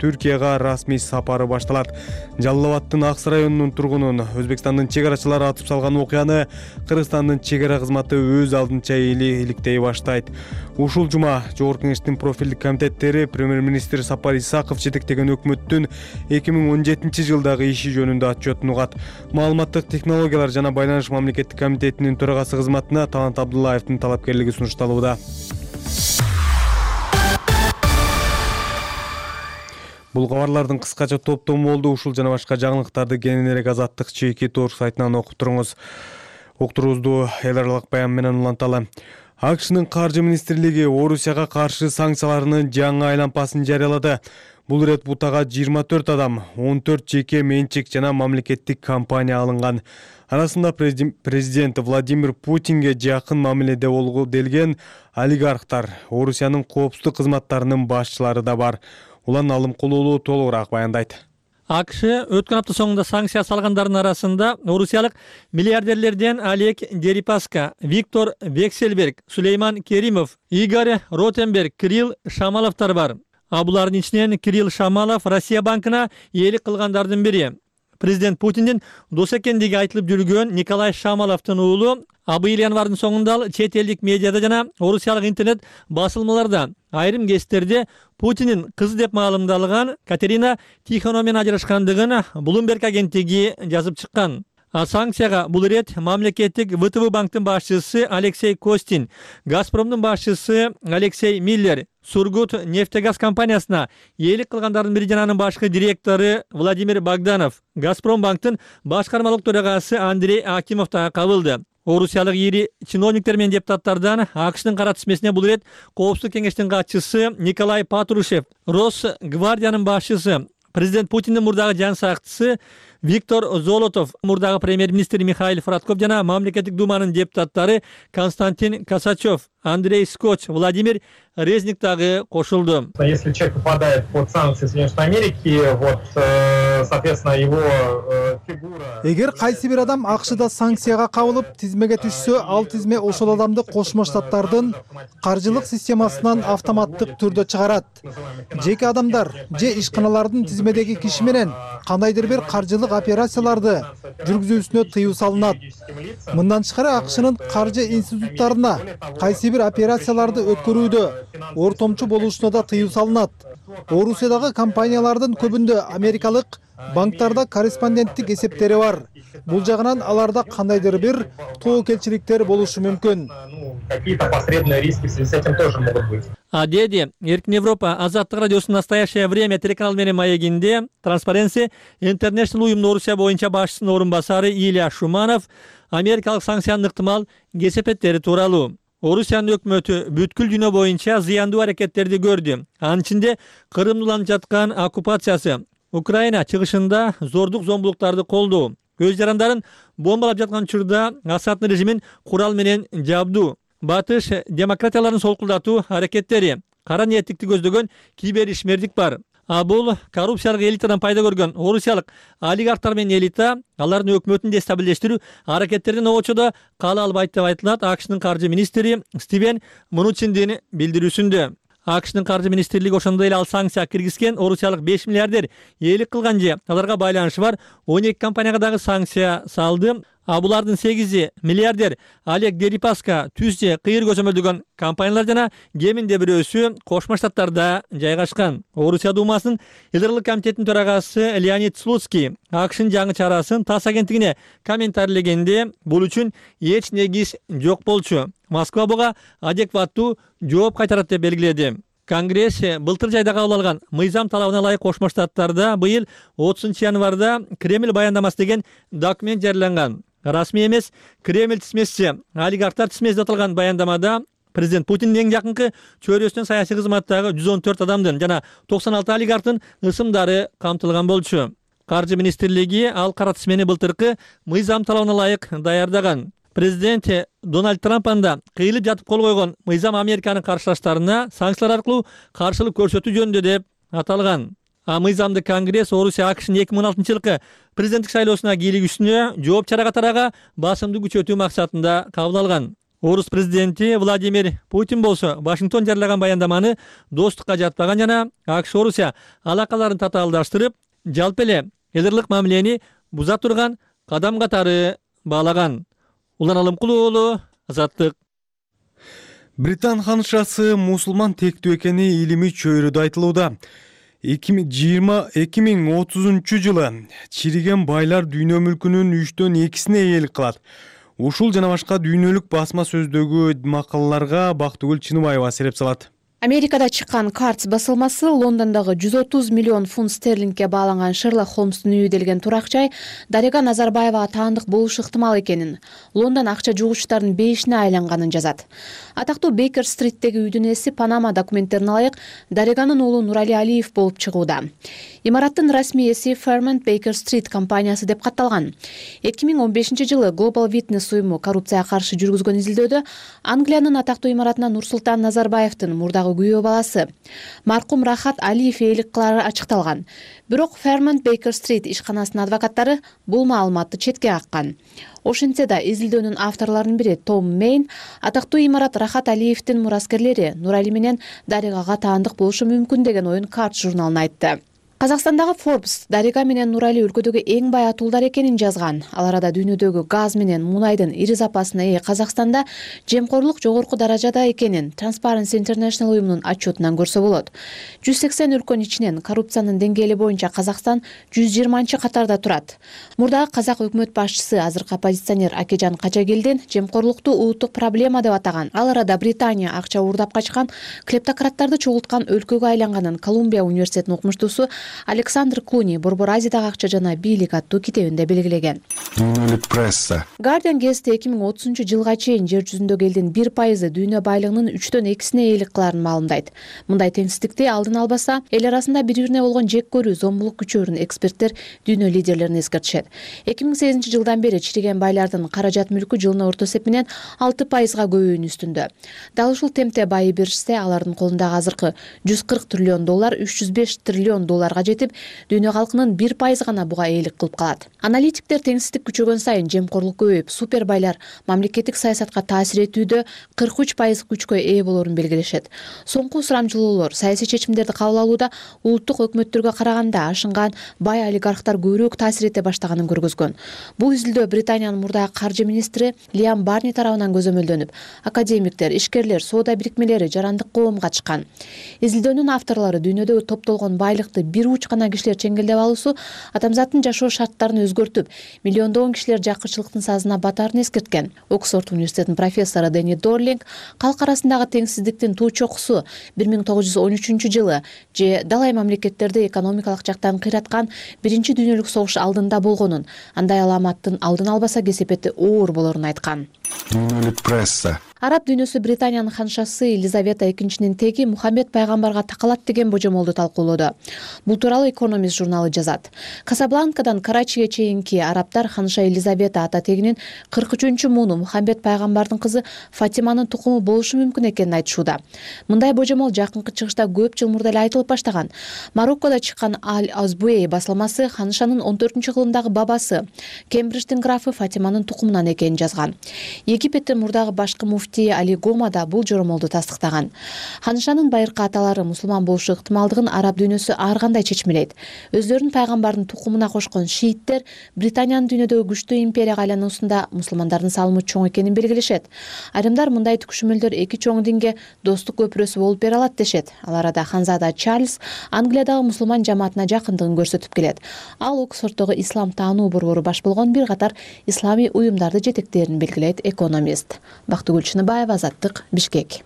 Түркияга расмий сапары башталат. Жалал Абадтын Акс районунун тургунун Өзбекстандын чек арачылары атып салган окуяны Кыргызстандын чек ара кызматы өз алдынча иликтей баштайт. Ушул жума Жогорку Кеңештин профилдик комитеттери премьер-министр Сапар Исаков жетектеген өкмөттүн 2017 жылдагы иши жөнүндө отчетун угат. Маалыматтык технологиялар жана байланыш мамлекеттик комитетинин төрагасы кызматына Талант Абдуллаевдин талапкерлиги сунушталууда. Бул кабарлардын кыскача топтому болду. Ушул жана башка жаңылыктарды кенен элек Азаттык чеки Торг сайтынан окуп туруңуз. Уктуруубузду эл аралык баян менен уланталы. АКШнын каржы министрлиги Орусияга каршы санкцияларынын жаңы айлампасын жарыялады. Бул ирет бутага 24 адам, 14 жеке менчик жана мамлекеттик компания алынган. Арасында президент Владимир Путинге жакын мамиледе болгу делген олигархтар, Орусиянын коопсуздук кызматтарынын башчылары да бар. Улан Алым Кулулуу толугураак баяндайт. АКШ өткөн апта соңунда санкция салгандардын арасында орусиялык миллиардерлерден Олег Дерипаска, Виктор Вексельберг, Сулейман Керимов, Игорь Ротенберг, Кирилл Шамаловтар бар. Булардын ичинен Кирилл Шамалов Россия банкына ээлик кылгандардын бири. Президент Путиндин дос экендиги айтылып жүргөн Николай Шамаловдун уулу быйыл январдын соңунда чет элдик медиада жана орусиялык интернет басылмаларда айрым кездерде Путиндин кызы деп маалымдалган Катерина Тихонова менен ажырашкандыгын Bloomberg агенттиги жазып чыккан. Санкцияга бул ирет мамлекеттик ВТБ банктын башчысы Алексей Костин, Газпромдун башчысы Алексей Миллер, Сургут нефтегаз компаниясына ээлик кылгандардын бири жана анын башкы директору Владимир Богданов, Газпром банктын башкармалык төрагасы Андрей Акимов да кабылды. Орусиялык ири чиновниктер менен депутаттардан АКШнын кара тизмесине бул ирет Коопсуздук кеңештин катчысы Николай Патрушев, Росгвардиянын башчысы, президент Путиндин мурдагы жан сакчысы Виктор Золотов, мурдагы премьер-министр Михаил Фродков жана мамлекеттик думанын депутаттары Константин Косачев, Андрей Скотч, Владимир Резник дагы кошулду. Если человек попадает под санкции Соединенных Америки, соответственно, его фигура... Эгер кайсы бир адам АКШда санкцияга кабылып, тизмеге түшсө, ал тизме ошол адамды Кошмо Штаттардын каржылык системасынан автоматтык түрдө чыгарат. Жеке адамдар же ишканалардын тизмедеги киши менен кандайдыр бир каржылык операцияларды жүргүзүүсүнө тыюу салынат. Мындан тышкары АКШнын каржы институттарына кайсы бир операцияларды өткөрүүдө ортомчу болушуна да тыюу салынат. Орусиядагы компаниялардын көбүндө америкалык банктарда корреспонденттик эсептери бар. Бул жагынан аларда кандайдыр бир тоокелчиликтер болушу мүмкүн. Какие-то посредные риски в связи с этим тоже могут быть. Деди, Эркин Европа, Азаттык радиосунун настоящее время телеканал менен маегинде Transparency International уюмунун Орусия боюнча башчысынын орун басары Илья Шуманов америкалык санкциянын ыктымал кесепеттери тууралуу. Орусиянын өкмөтү бүткүл дүйнө боюнча зыяндуу аракеттерди көрдү. Анын ичинде Кырымда уланып жаткан оккупациясы, Украина чыгышында зордук зомбулуктарды колдоо, көз жарандарын бомбалап жаткан учурда Асаддын режимин курал менен жабдуу, батыш демократияларын солкулдатуу аракеттери, кара ниеттикти көздөгөн киберишмердик бар. Бул коррупциялык элитадан пайда көргөн орусиялык олигархтар менен элита алардын өкмөтүн дестабилдештирүү аракеттеринин обочодо кала албайт деп айтылат АКШнын каржы министри Стивен Мнучиндин билдирүүсүндө. АКШнын каржы министрлиги ошондой эле ал санкция киргизген орусиялык 5 миллиардер ээлик кылган же аларга байланышы бар 12 компанияга дагы санкция салды. Булардын 8 миллиардер Олег Дерипаска, Түз же Кыйыр көзөмөлдөгөн компаниялар жана кеминде бирөөсү Кошмо Штаттарда жайгашкан. Орусия Думасынын Илдырлык комитетинин төрагасы Леонид Слуцкий АКШнын жаңы чарасын ТАСС агенттигине комментарийлегенде бул үчүн эч негиз жок болчу. Москва буга адекваттуу жооп кайтарат деп белгиледи. Конгресс былтыр жайда кабыл алган мыйзам талабына ылайык Кошмо Штаттарда быйыл 30 январда Кремль баяндамасы деген документ жарыяланган. Расмий эмес Кремль тизмеси, олигархтар тизмеси деп аталган баяндамада президент Путиндин эң жакынкы чөйрөсүнөн саясий кызматтагы 114 адамдын жана 96 олигархтын ысымдары камтылган болчу. Каржы министрлиги ал кара тизмени былтыркы мыйзам талабына ылайык даярдаган. Президент Дональд Трамп анда кыйылып жатып кол койгон мыйзам Американын каршылаштарына санкциялар аркылуу каршылык көрсөтүү жөнүндө деп аталган. Мыйзамды Конгресс Орусия АКШнын 2016-жылкы президенттик шайлоосуна кийлигүүсүнө жооп чара катарага басымды күчөтүү максатында кабыл алган. Орус президенти Владимир Путин болсо Вашингтон жарыялаган баяндаманы достукка жатпаган жана АКШ Орусия алакаларын татаалдаштырып, жалпы эле элдирлик мамилени буза турган кадам катары баалаган. Улан Алымкулуу уулу, Азаттык. Британ ханышасы мусулман тектүү экени илимий чөйрөдө айтылууда. 2030 жылы чириген байлар дүйнө мүлкүнүн 3/2-сине ээлик кылат. Ушул жана башка дүйнөлүк басма сөздөгү макалаларга Бактыгүл Чыныбаева сереп салат. Америкада чыккан Картс басылмасы Лондондогу 130 миллион фунт стерлингге бааланган Шерлок Холмстун үйү делген турак жай Дарига Назарбаевага таандык болушу ыктымал экенин, Лондон акча жугучтардын бейишине айланганын жазат. Атактуу Бейкер Стриттеги үйдүн ээси Панама документтерине ылайык Дариганын уулу Нурали Алиев болуп чыгууда. Имараттын расмий ээси Fairmont Baker Street компаниясы деп катталган. 2015-жылы Global Witness уюму коррупцияга каршы жүргүзгөн изилдөөдө Англиянын атактуу имаратына Нурсултан Назарбаевдин мурдагы күйөө баласы маркум Рахат Алиев ээлик кылары ачыкталган. Бирок Fairmont Baker Street ишканасынын адвокаттары бул маалыматты четке каккан. Ошентсе да изилдөөнүн авторлорунун бири Том Мейн атактуу имарат Рахат Алиевдин мураскерлери Нурали менен Даригага таандык болушу мүмкүн деген оюн Картс журналына айтты. Казакстандагы Forbes Дарига менен Нурали өлкөдөгү эң бай атуулдар экенин жазган. Ал арада дүйнөдөгү газ менен мунайдын ири запасына ээ Казакстанда жемкорлук жогорку даражада экенин Transparency International уюмунун отчетунан көрсө болот. 180 өлкөнүн ичинен коррупциянын деңгээли боюнча Казакстан 120-катарда турат. Мурдагы казак өкмөт башчысы азыркы оппозиционер Акежан Качагелдин жемкорлукту улуттук проблема деп атаган. Ал арада Британия акча уурдап качкан клептократтарды чогулткан өлкөгө айланганын Колумбия университетинин окумуштуусу Александр Клуни Борбор Азиядагы акча жана бийлик аттуу китебинде белгилеген. Дүйнөлүк пресса. Guardian гезити 2030-жылга чейин жер жүзүндөгү элдин 1% дүйнө байлыгынын 3/2 ээлик кыларын маалымдайт. Мындай теңсиздикти алдын албаса, эл арасында бири-бирине болгон жек көрүү, зомбулук күчөөрүн эксперттер дүйнө лидерлерин эскертишет. 2008-жылдан бери чириген байлардын каражат мүлкү жылына орто эсеп менен 6%-га көбөйүүнүн үстүндө. Дал ушул темпте байы беришсе, алардын колундагы азыркы $140 триллион $305 триллион жетип, дүйнө калкынын 1% гана буга ээлик кылып калат. Аналитиктер теңсиздик күчөгөн сайын жемкорлук көбөйүп, супербайлар мамлекеттик саясатка таасир этүүдө 43% күчкө ээ болорун белгилешет. Соңку сурамжылоолор саясий чечимдерди кабыл алууда улуттук өкмөттөргө караганда ашынган бай олигархтар көбүрөөк таасир эте баштаганын көргөзгөн. Бул изилдөө Британиянын мурдагы каржы министри Лиам Барни тарабынан көзөмөлдөнүп, академиктер, ишкерлер, соода бирикмелери, жарандык коом катышкан. Изилдөөнүн авторлору дүйнөдө топтолгон байлыкты бир уч гана кишилер чеңгелдеп алуусу адамзаттын жашоо шарттарын өзгөртүп, миллиондогон кишилер жакырчылыктын сазына батаарын эскерткен. Оксфорд университетинин профессору Дени Дорлинг калк арасындагы теңсиздиктин туу чокусу 1913-жылы же далай мамлекеттерди экономикалык жактан кыйраткан биринчи дүйнөлүк согуш алдында болгонун, андай аламаттын алдын албаса кесепети оор болорун айткан. Дүйнөлүк пресса. Араб дүйнөсү Британиянын ханшасы Елизавета II теги Мухаммед пайгамбарга такалат деген божомолду талкуулоодо. Бул тууралуу Экономист журналы жазат. Касабланкадан Карачиге чейинки арабтар ханша Елизавета ата тегинин 43-мууну Мухаммед пайгамбардын кызы Фатиманын тукуму болушу мүмкүн экенин айтышууда. Мындай божомол жакынкы чыгышта көп жыл мурда эле айтылып баштаган. Мароккодо чыккан Аль-Азбуэй басылмасы ханшанын 14-кылымдагы бабасы Кембридждин графы Фатиманын тукумунан экенин жазган. Египеттин мурдагы башкы муфти Али Гома да бул жоромолду тастыктаган. Ханшанын байыркы аталары мусулман болушу ыктымалдыгын араб дүйнөсү ар кандай чечмелейт. Өздөрүнүн пайгамбардын тукумуна кошкон шииттер Британиянын дүйнөдөгү күчтүү империяга айлануусунда мусулмандардын салымы чоң экенин белгилешет. Айрымдар мындай түкүшмөлдөр эки чоң динге достук көпүрөсү болуп бере алат дешет. Ал арада ханзада Чарльз Англиядагы мусулман жамаатына жакындыгын көрсөтүп келет. Ал Оксфорддогу ислам таануу борбору баш болгон бир катар исламий уюмдарды жетектээрин белгилейт Экономист. Бактыгүл Чыныбаева, Азаттык, Бишкек.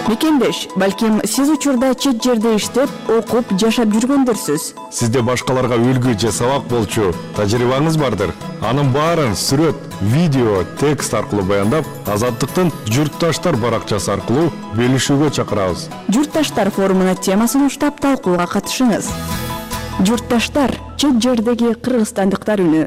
Мекендеш, балким сиз учурда чет жерде иштеп, окуп, жашап жүргөндөрсүз. Сизде башкаларга үлгү же сабак болчу тажрыйбаңыз бардыр. Анын баарын сүрөт, видео, текст аркылуу баяндап, Азаттыктын Журтташтар баракчасы аркылуу бөлүшүүгө чакырабыз. Журтташтар форумуна темасын уштап талкууга катышыңыз. Журтташтар, чет жердеги кыргызстандыктар үнү.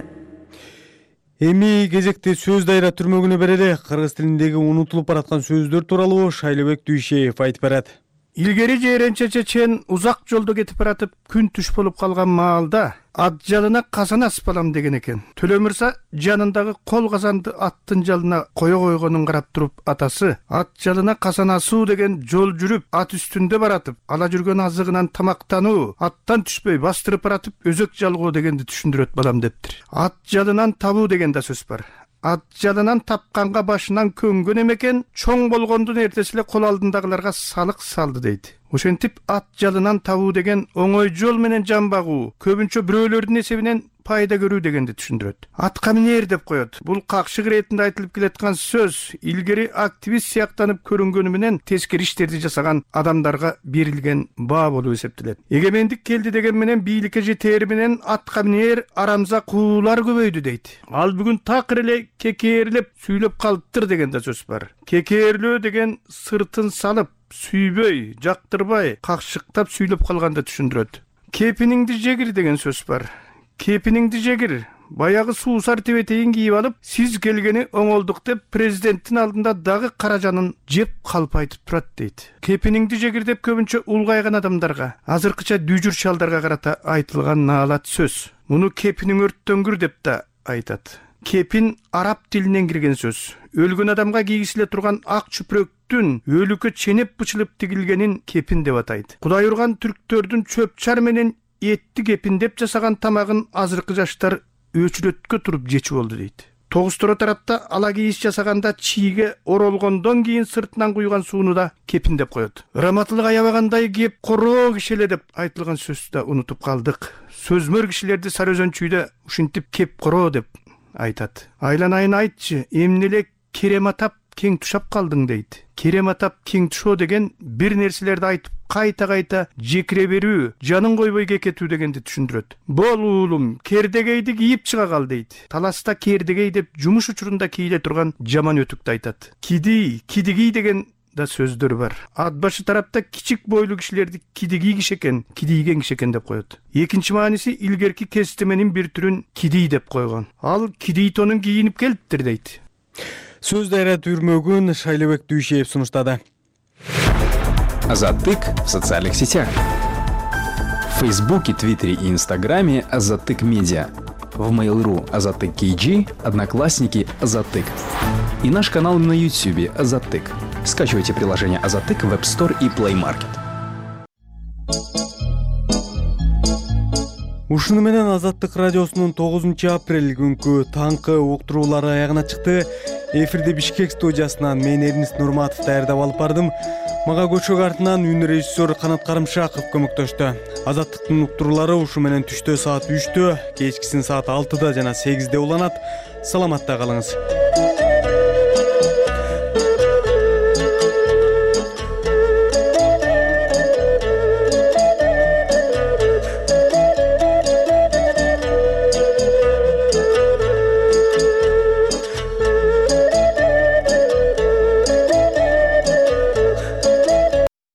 Эми кезекте сөз дайра түрмөгүнө берели. Кыргыз тилиндеги унутулуп бараткан сөздөр тууралуу Шайлыбек Дүйшеев айтып берет. Илгери жээренче чечен узак жолдо кетип баратып күн түш болуп калган маалда ат жалына казан асып алам деген экен. Төлө мырза жанындагы кол казанды аттын жалына кое койгонун карап туруп атасы ат жалына казан асуу деген жол жүрүп ат үстүндө баратып ала жүргөн азыгынан тамактануу, аттан түшпөй бастырып баратып өзөк жалгоо дегенди түшүндүрөт балам дептир. Ат жалынан табуу деген да сөз бар. Ат жалынан тапканга башынан көнгөн эмекен, чоң болгондун эртеси эле кол алдындагыларга салык салды дейт. Ошентип ат жалынан табуу деген оңой жол менен жан багуу, көбүнчө бирөөлөрдүн эсебинен пайда көрүү дегенди түшүндүрөт. Атка минер деп коет. Бул какшык иретинде айтылып келаткан сөз илгери активист сыяктанып көрүнгөнү менен тескери иштерди жасаган адамдарга берилген баа болуп эсептелет. Эгемендик келди деген менен бийликке жетери менен атка минер арамза куулар көбөйдү дейт. Ал бүгүн такыр эле кекээрлеп сүйлөп калыптыр деген да сөз бар. Кекээрлөө деген сыртын салып сүйбөй, жактырбай, какшыктап сүйлөп калганды түшүндүрөт. Кепиниңди жегир деген сөз бар. Кепиниңди жегир. Баягы суусар тебетейин кийип алып, сиз келгени оңолдук деп президенттин алдында дагы каражанын жеп калп айтып турат дейт. Кепиниңди жегир деп көбүнчө улгайган адамдарга, азыркыча дүйжүр чалдарга карата айтылган наалат сөз. Муну кепиниң өрттөнгүр деп да айтат. Кепин араб тилинен кирген сөз. Өлгөн адамга кийгисиле турган ак чүпүрөктүн өлүккө ченеп бычылып тигилгенин кепин деп атайт. Кудай урган түрктөрдүн чөпчар менен этти кепиндеп жасаган тамагын азыркы жаштар өчүрөткө туруп жечү болду дейт. Тогусторо тарапта ала кийиш жасаганда чийге оролгондон кийин сыртынан куйган сууну да кепин деп коет. Раматылык аябагандай кеп короо кишеле деп айтылган сөздү да унутуп калдык. Сөзмөр кишилерди Сарыөзөнчүйдө ушинтип кеп короо деп айтат. Айланайын айтчы, эмне эле керем атап кең тушап калдың дейт. Керем атап кең тушоо деген бир нерселерди айтып кайта жекире берүү, жанын койбой кекетүү дегенди түшүндүрөт. Бол уулум, кердегейди кийип чыга кал дейт. Таласта кердегей деп жумуш учурунда кийиле турган жаман өтүктү айтат. Кидигий деген да сөздөр бар. Ат башы тарапта кичик бойлуу кишилерди кидигий киши экен, кидийген киши экен деп коет. Экинчи мааниси илгерки кестеменин бир түрүн кидий деп койгон. Ал кидий тонун кийинип келиптир дейт. Сөз дайрат үрмөгүн Шайлебек Дүйшеев сунуштады. Азаттык в социальных сетях. В Фейсбуке, Твиттере и Инстаграме Азаттык Медиа. В Mail.ru Азаттык KG, Одноклассники Азаттык. И наш канал на YouTube Азаттык. Скачивайте приложение Азаттык в App Store и Play Market. Ушуну менен Азаттык радиосунун 9-апрель күнкү таңкы уктуруулары аягына чыкты. Эфирди Бишкек студиясынан мен Эрнис Нурматов даярдап алып бардым. Мага көчөк артынан үн режиссер Канат Карымшаков көмөктөштү. Азаттыктын уктуруулары ушу менен түштө саат 3-тө, кечкисин саат 6-да жана 8-де уланат. Саламатта калыңыз.